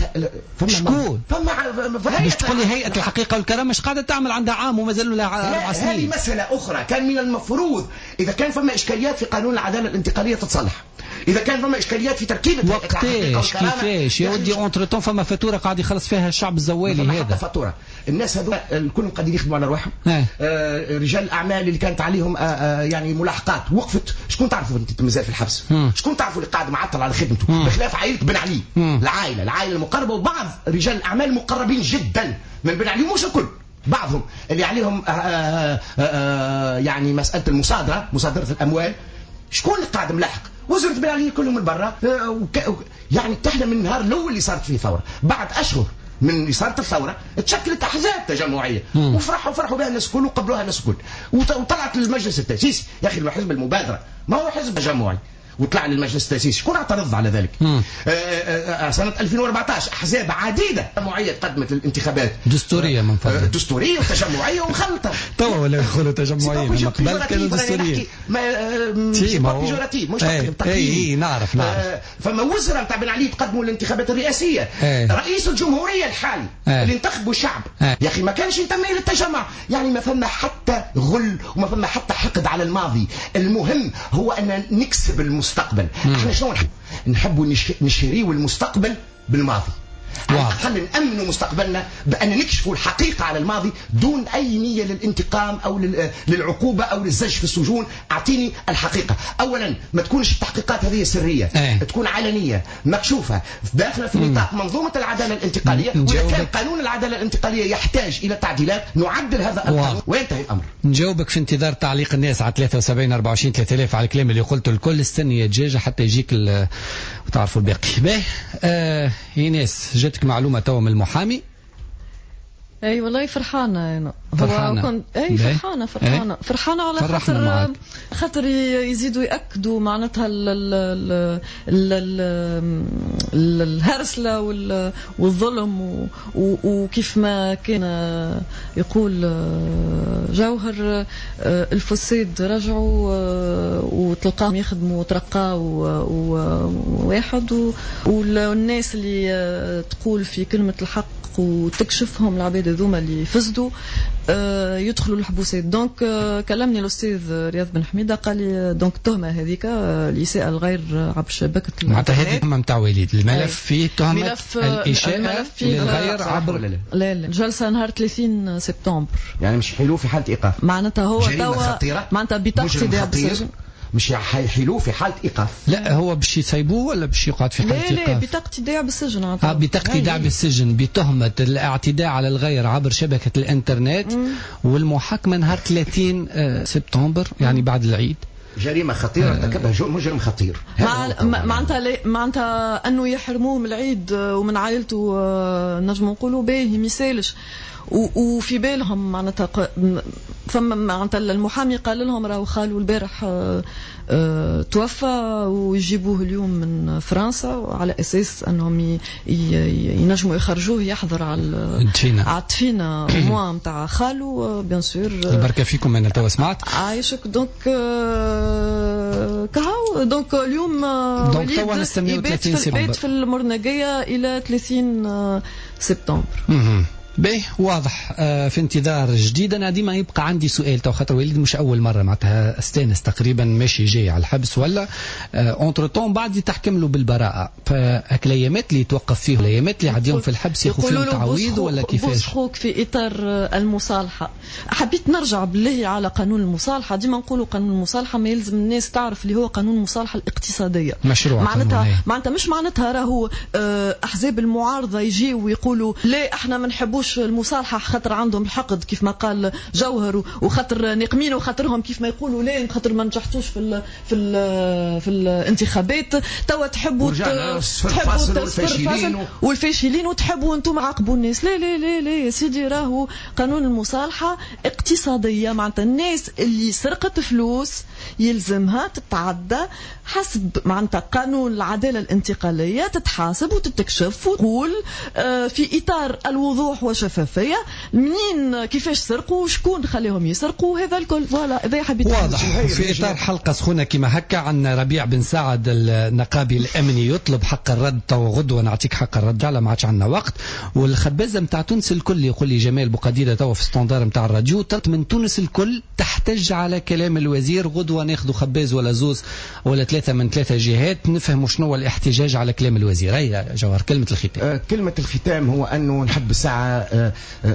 فما شكون؟ فما باش تقول لي هيئة الحقيقة والكرامة مش قاعدة تعمل عندها عام ومازالوا لها اربع سنين. هذه مسالة اخرى، كان من المفروض اذا كان فما اشكاليات في قانون العدالة الانتقالية تتصلح، اذا كان فما اشكاليات في تركيبه وقتاش كيفاش يا ودي entre-temps فما فاتورة قاعد يخلص فيها الشعب الزوالي هذا. فاتورة الناس هذو الكل قاعدين يخدموا على رواحهم. آه رجال الاعمال اللي كانت عليهم آه آه يعني ملاحقات وقفت. شكون تعرفوا انت مازال في الحبس؟ مم. شكون تعرفوا اللي قاعد معطل على خدمته؟ بخلاف عائلة بن علي. مم. العائلة العائلة المقربة وبعض رجال الاعمال المقربين جدا من بن علي، مش الكل، بعضهم اللي عليهم آه آه آه يعني مسالة المصادرة، مصادره الاموال. شكون اللي قاعد ملاحق؟ وزرت بن علي كلهم من برا. يعني احنا من النهار الاول اللي صارت فيه ثورة، بعد اشهر من اللي صارت الثورة تشكلت احزاب تجمعيه وفرحوا فرحوا بها الناس الكل وقبلوها الناس الكل، وطلعت للمجلس التاسيسي. يا اخي حزب المبادرة ما هو حزب تجمعي وطلع للمجلس التاسيسي، شكون اعترض على ذلك؟ آآ آآ سنة ألفين وأربعة عشر احزاب عديدة تجمعيه تقدمت للانتخابات دستورية من فضلك، دستورية وتجمعيه ومخلطه. توا ولا يقولوا تجمعيه، من قبل كانوا دستورية. ما péjoratif مش تقييم. اي نعرف نعرف. فما وزراء نتاع بن علي تقدموا للانتخابات الرئاسية. ايه. رئيس الجمهورية الحالي ايه. اللي انتخبوا الشعب. ايه. يا اخي ما كانش ينتمي للتجمع، يعني ما فما حتى غل وما فما حتى حقد على الماضي. المهم هو ان نكسب المستقبل. احنا شنو نحب؟ نحبوا نشريوا المستقبل بالماضي. على الأقل نأمنوا مستقبلنا بأن نكشفوا الحقيقة على الماضي دون أي نية للانتقام أو للعقوبة أو للزج في السجون. أعطيني الحقيقة. أولا ما تكونش التحقيقات هذه سرية. ايه. تكون علنية مكشوفة داخلة في نطاق منظومة العدالة الانتقالية. وإذا كان قانون العدالة الانتقالية يحتاج إلى تعديلات نعدل هذا القانون وينتهي الأمر. نجاوبك في انتظار تعليق الناس على ثلاثة وسبعين أربعة وعشرين ثلاثة آلاف على الكلام اللي قلته الكل. استني يا دجاجة حتى يجيك وتعرفوا الباقي. باهي آه إيناس، جاتك معلومة توا من المحامي. اي والله فرحانة انا. فرحانة. كنت اي فرحانة فرحانة ايه؟ فرحانة على خاطر خاطر يزيدوا ياكدوا معناتها ال ال ال ال الهرسله والظلم وكيف ما كان يقول جوهر الفساد رجعوا وتلقاهم يخدموا وترقاوا واحد، والناس اللي تقول في كلمة الحق وتكشفهم العباد هذوما اللي فسدوا يدخلوا الحبوسات. donc كلمني الاستاذ رياض بن حميده قال لي donc التهمة هذيك الاساءة الغير عبر شبكة معناتها هذه التهمة نتاع وليد الملف فيه تهمه الاساءة للغير عبر لا لا الجلسة نهار ثلاثين سبتمبر، يعني مش حلو في حاله ايقاف، معناتها هو توا معناتها بطاقة ايداع مش حيحلوه في حالة إيقاف. لا هو باش يسيبوه ولا باش يقعد في حالة إيقاف؟ لا لا بطاقة إيداع بالسجن. اه بطاقة إيداع بالسجن بتهمة الاعتداء على الغير عبر شبكة الإنترنت. مم. والمحاكمة نهار ثلاثين سبتمبر يعني بعد العيد. جريمة خطيرة ارتكبها مجرم خطير. معناتها معناتها أنه يحرموه من العيد ومن عائلته نجم نقولوا باهي ما يسالش. وفي بالهم معناتها فما معناتها المحامي قال لهم راهو خالو البارح توفى ويجيبوه اليوم من فرنسا على اساس انهم ينجموا يخرجوه يحضر على على الدفينه موا نتاع خالو bien sûr. البركة فيكم انا توا سمعت عايشك. donc كهو donc اليوم donc توا نستناو ثلاثين سبتمبر في المرنقيه الى ثلاثين سبتمبر. باهي واضح. آه في انتظار جديد. انا ديما يبقى عندي سؤال تو خاطر وليد مش اول مرة معناتها استانس تقريبا ماشي جاي على الحبس ولا entre-temps بعد تحكم له بالبراءة، فهاك الايامات اللي يتوقف فيه الايامات اللي عديهم في الحبس ياخذ فيهم تعويض ولا كيفاش؟ خوك في اطار المصالحة. حبيت نرجع بالله على قانون المصالحة. ديما نقولوا قانون المصالحة ما يلزم الناس تعرف اللي هو قانون المصالحة الاقتصادية مشروع معناتها معناتها مش معناتها راهو احزاب المعارضة يجيو ويقولوا لا احنا ما نحبوش المصالحة خاطر عندهم الحقد كيف ما قال جوهر وخاطر نقمين وخاطرهم كيف ما يقولوا لا خاطر ما نجحتوش في ال في ال في الانتخابات توا تحبوا تحبوا والفاشلين والفاشلين وتحبوا انتم عاقبوا الناس. لا لا لا لا يا سيدي راهو قانون المصالحة اقتصادية معناتها الناس اللي سرقت فلوس يلزمها تتعدى حسب معناتها قانون العدالة الانتقالية، تتحاسب وتتكشف وتقول في اطار الوضوح والشفافيه منين كيفاش سرقوا وشكون خليهم يسرقوا، هذا الكل. voilà اذا حبيت واضح. في اطار حلقة سخونة كما هكا عندنا ربيع بن سعد النقابي الامني يطلب حق الرد، تو غدوه نعطيك حق الرد على ما عادش عندنا وقت. والخبازه نتاع تونس الكل يقول لي جمال بوقديده تو في standard نتاع الراديو، طلبت من تونس الكل تحتج على كلام الوزير. غدوه ناخذ خباز ولا زوز ولا ثلاثة من ثلاثة جهات نفهموا شنو هو الاحتجاج على كلام الوزير. هيا جوهر كلمة الختام. أه كلمة الختام هو انه نحب الساعة أه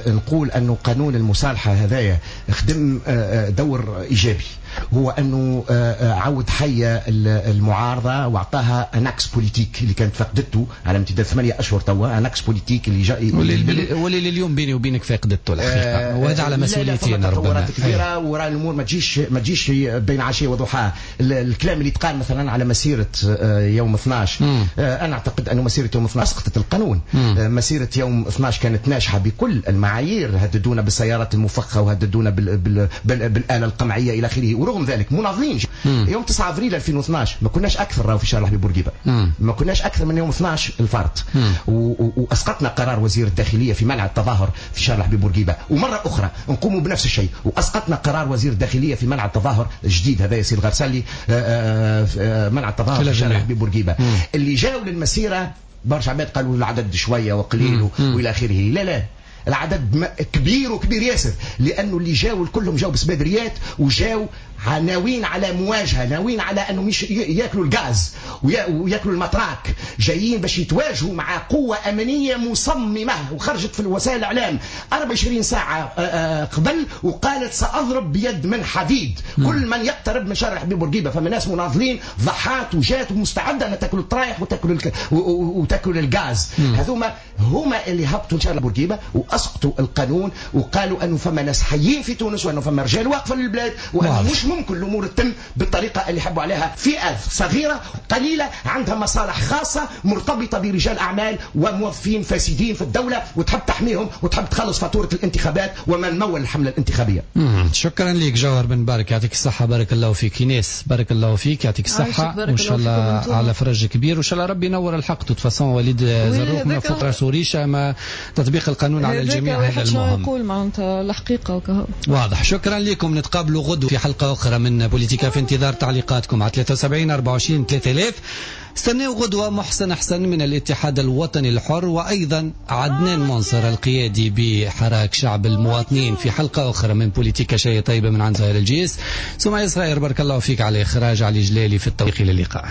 نقول انه قانون المصالحة هذايا خدم أه دور ايجابي، هو انه عود حي المعارضة واعطاها un axe politique اللي كانت فقدته على امتداد ثمانية اشهر توا، un axe politique اللي جاء واللي لليوم بيني وبينك فقدته الحقيقة، وهذا على مسؤوليتي انا ربما. كبيرة وراء الامور ما تجيش ما تجيش بين عشية وضحاها. الكلام اللي تقال مثلا على مسيره يوم اثناش، انا اعتقد انه مسيره يوم اثناش اسقطت القانون. مم. مسيره يوم اثناش كانت ناجحة بكل المعايير، هددونا بالسيارات المفخخة وهددونا بال بال بال بالاله القمعيه الى اخره، ورغم ذلك مناضلين. يوم تسعة افريل ألفين واثناش ما كناش اكثر راهو في شارع الحبيب بورقيبة، ما كناش اكثر من يوم اثناش الفرد، واسقطنا قرار وزير الداخلية في منع التظاهر في شارع الحبيب بورقيبة. ومرة اخرى نقوم بنفس الشيء واسقطنا قرار وزير الداخلية في منع التظاهر الجديد هذا ياسين الغرسلي، منع التظاهر في شارع الحبيب بورقيبة. اللي جاوا للمسيره برشا عباد قالوا العدد شوية وقليل والى اخره. لا لا، العدد كبير وكبير ياسر، لانه اللي جاوا كلهم جاوا بسبادريات وجاوا ناويين على مواجهة، ناويين على انهم ياكلوا الغاز وياكلوا ال matraque، جايين باش يتواجهوا مع قوة امنية مصممه وخرجت في الوسائل الاعلام أربعة وعشرين ساعة قبل وقالت ساضرب بيد من حديد كل من يقترب من شارع حبيب بورقيبة. فما ناس مناضلين ضحات وجات ومستعده ان تاكل الطرايح وتاكل الك... وتاكل الغاز. هذوما هما اللي هبطوا لشارع بورقيبة واسقطوا القانون وقالوا انه فما ناس حيين في تونس وانه فما رجال واقفة للبلاد وانه مش ممكن الامور تتم بالطريقة اللي حبوا عليها فئة صغيرة قليله عندها مصالح خاصة مرتبطة برجال اعمال وموظفين فاسدين في الدولة وتحب تحميهم وتحب تخلص فاتورة الانتخابات ومن مول الحملة الانتخابية. مم. شكرا لك جوهر بن بارك، يعطيك الصحة، بارك الله فيك. ايناس بارك الله فيك، يعطيك الصحة وان شاء الله على فرج كبير وان شاء الله ربي ينور الحق. de toute façon وليد زروق ما فوق راسه ريشه، ما تطبيق القانون على الجميع هذا المهم. نقول معناتها الحقيقة وكهو. واضح. شكرا لكم، نتقابلوا غدوه في حلقة أخرى من بوليتيكا في انتظار تعليقاتكم على ثلاثة وسبعين أربعة وعشرين ثلاثة آلاف. استناو غدوة محسن حسن من الاتحاد الوطني الحر وأيضا عدنان منصر القيادي بحراك شعب المواطنين في حلقة أخرى من بوليتيكا. شيء طيبة من عند زهير الجيس، سمعي صغير بارك الله فيك على إخراج، علي جلالي في التوفيق، إلى اللقاء.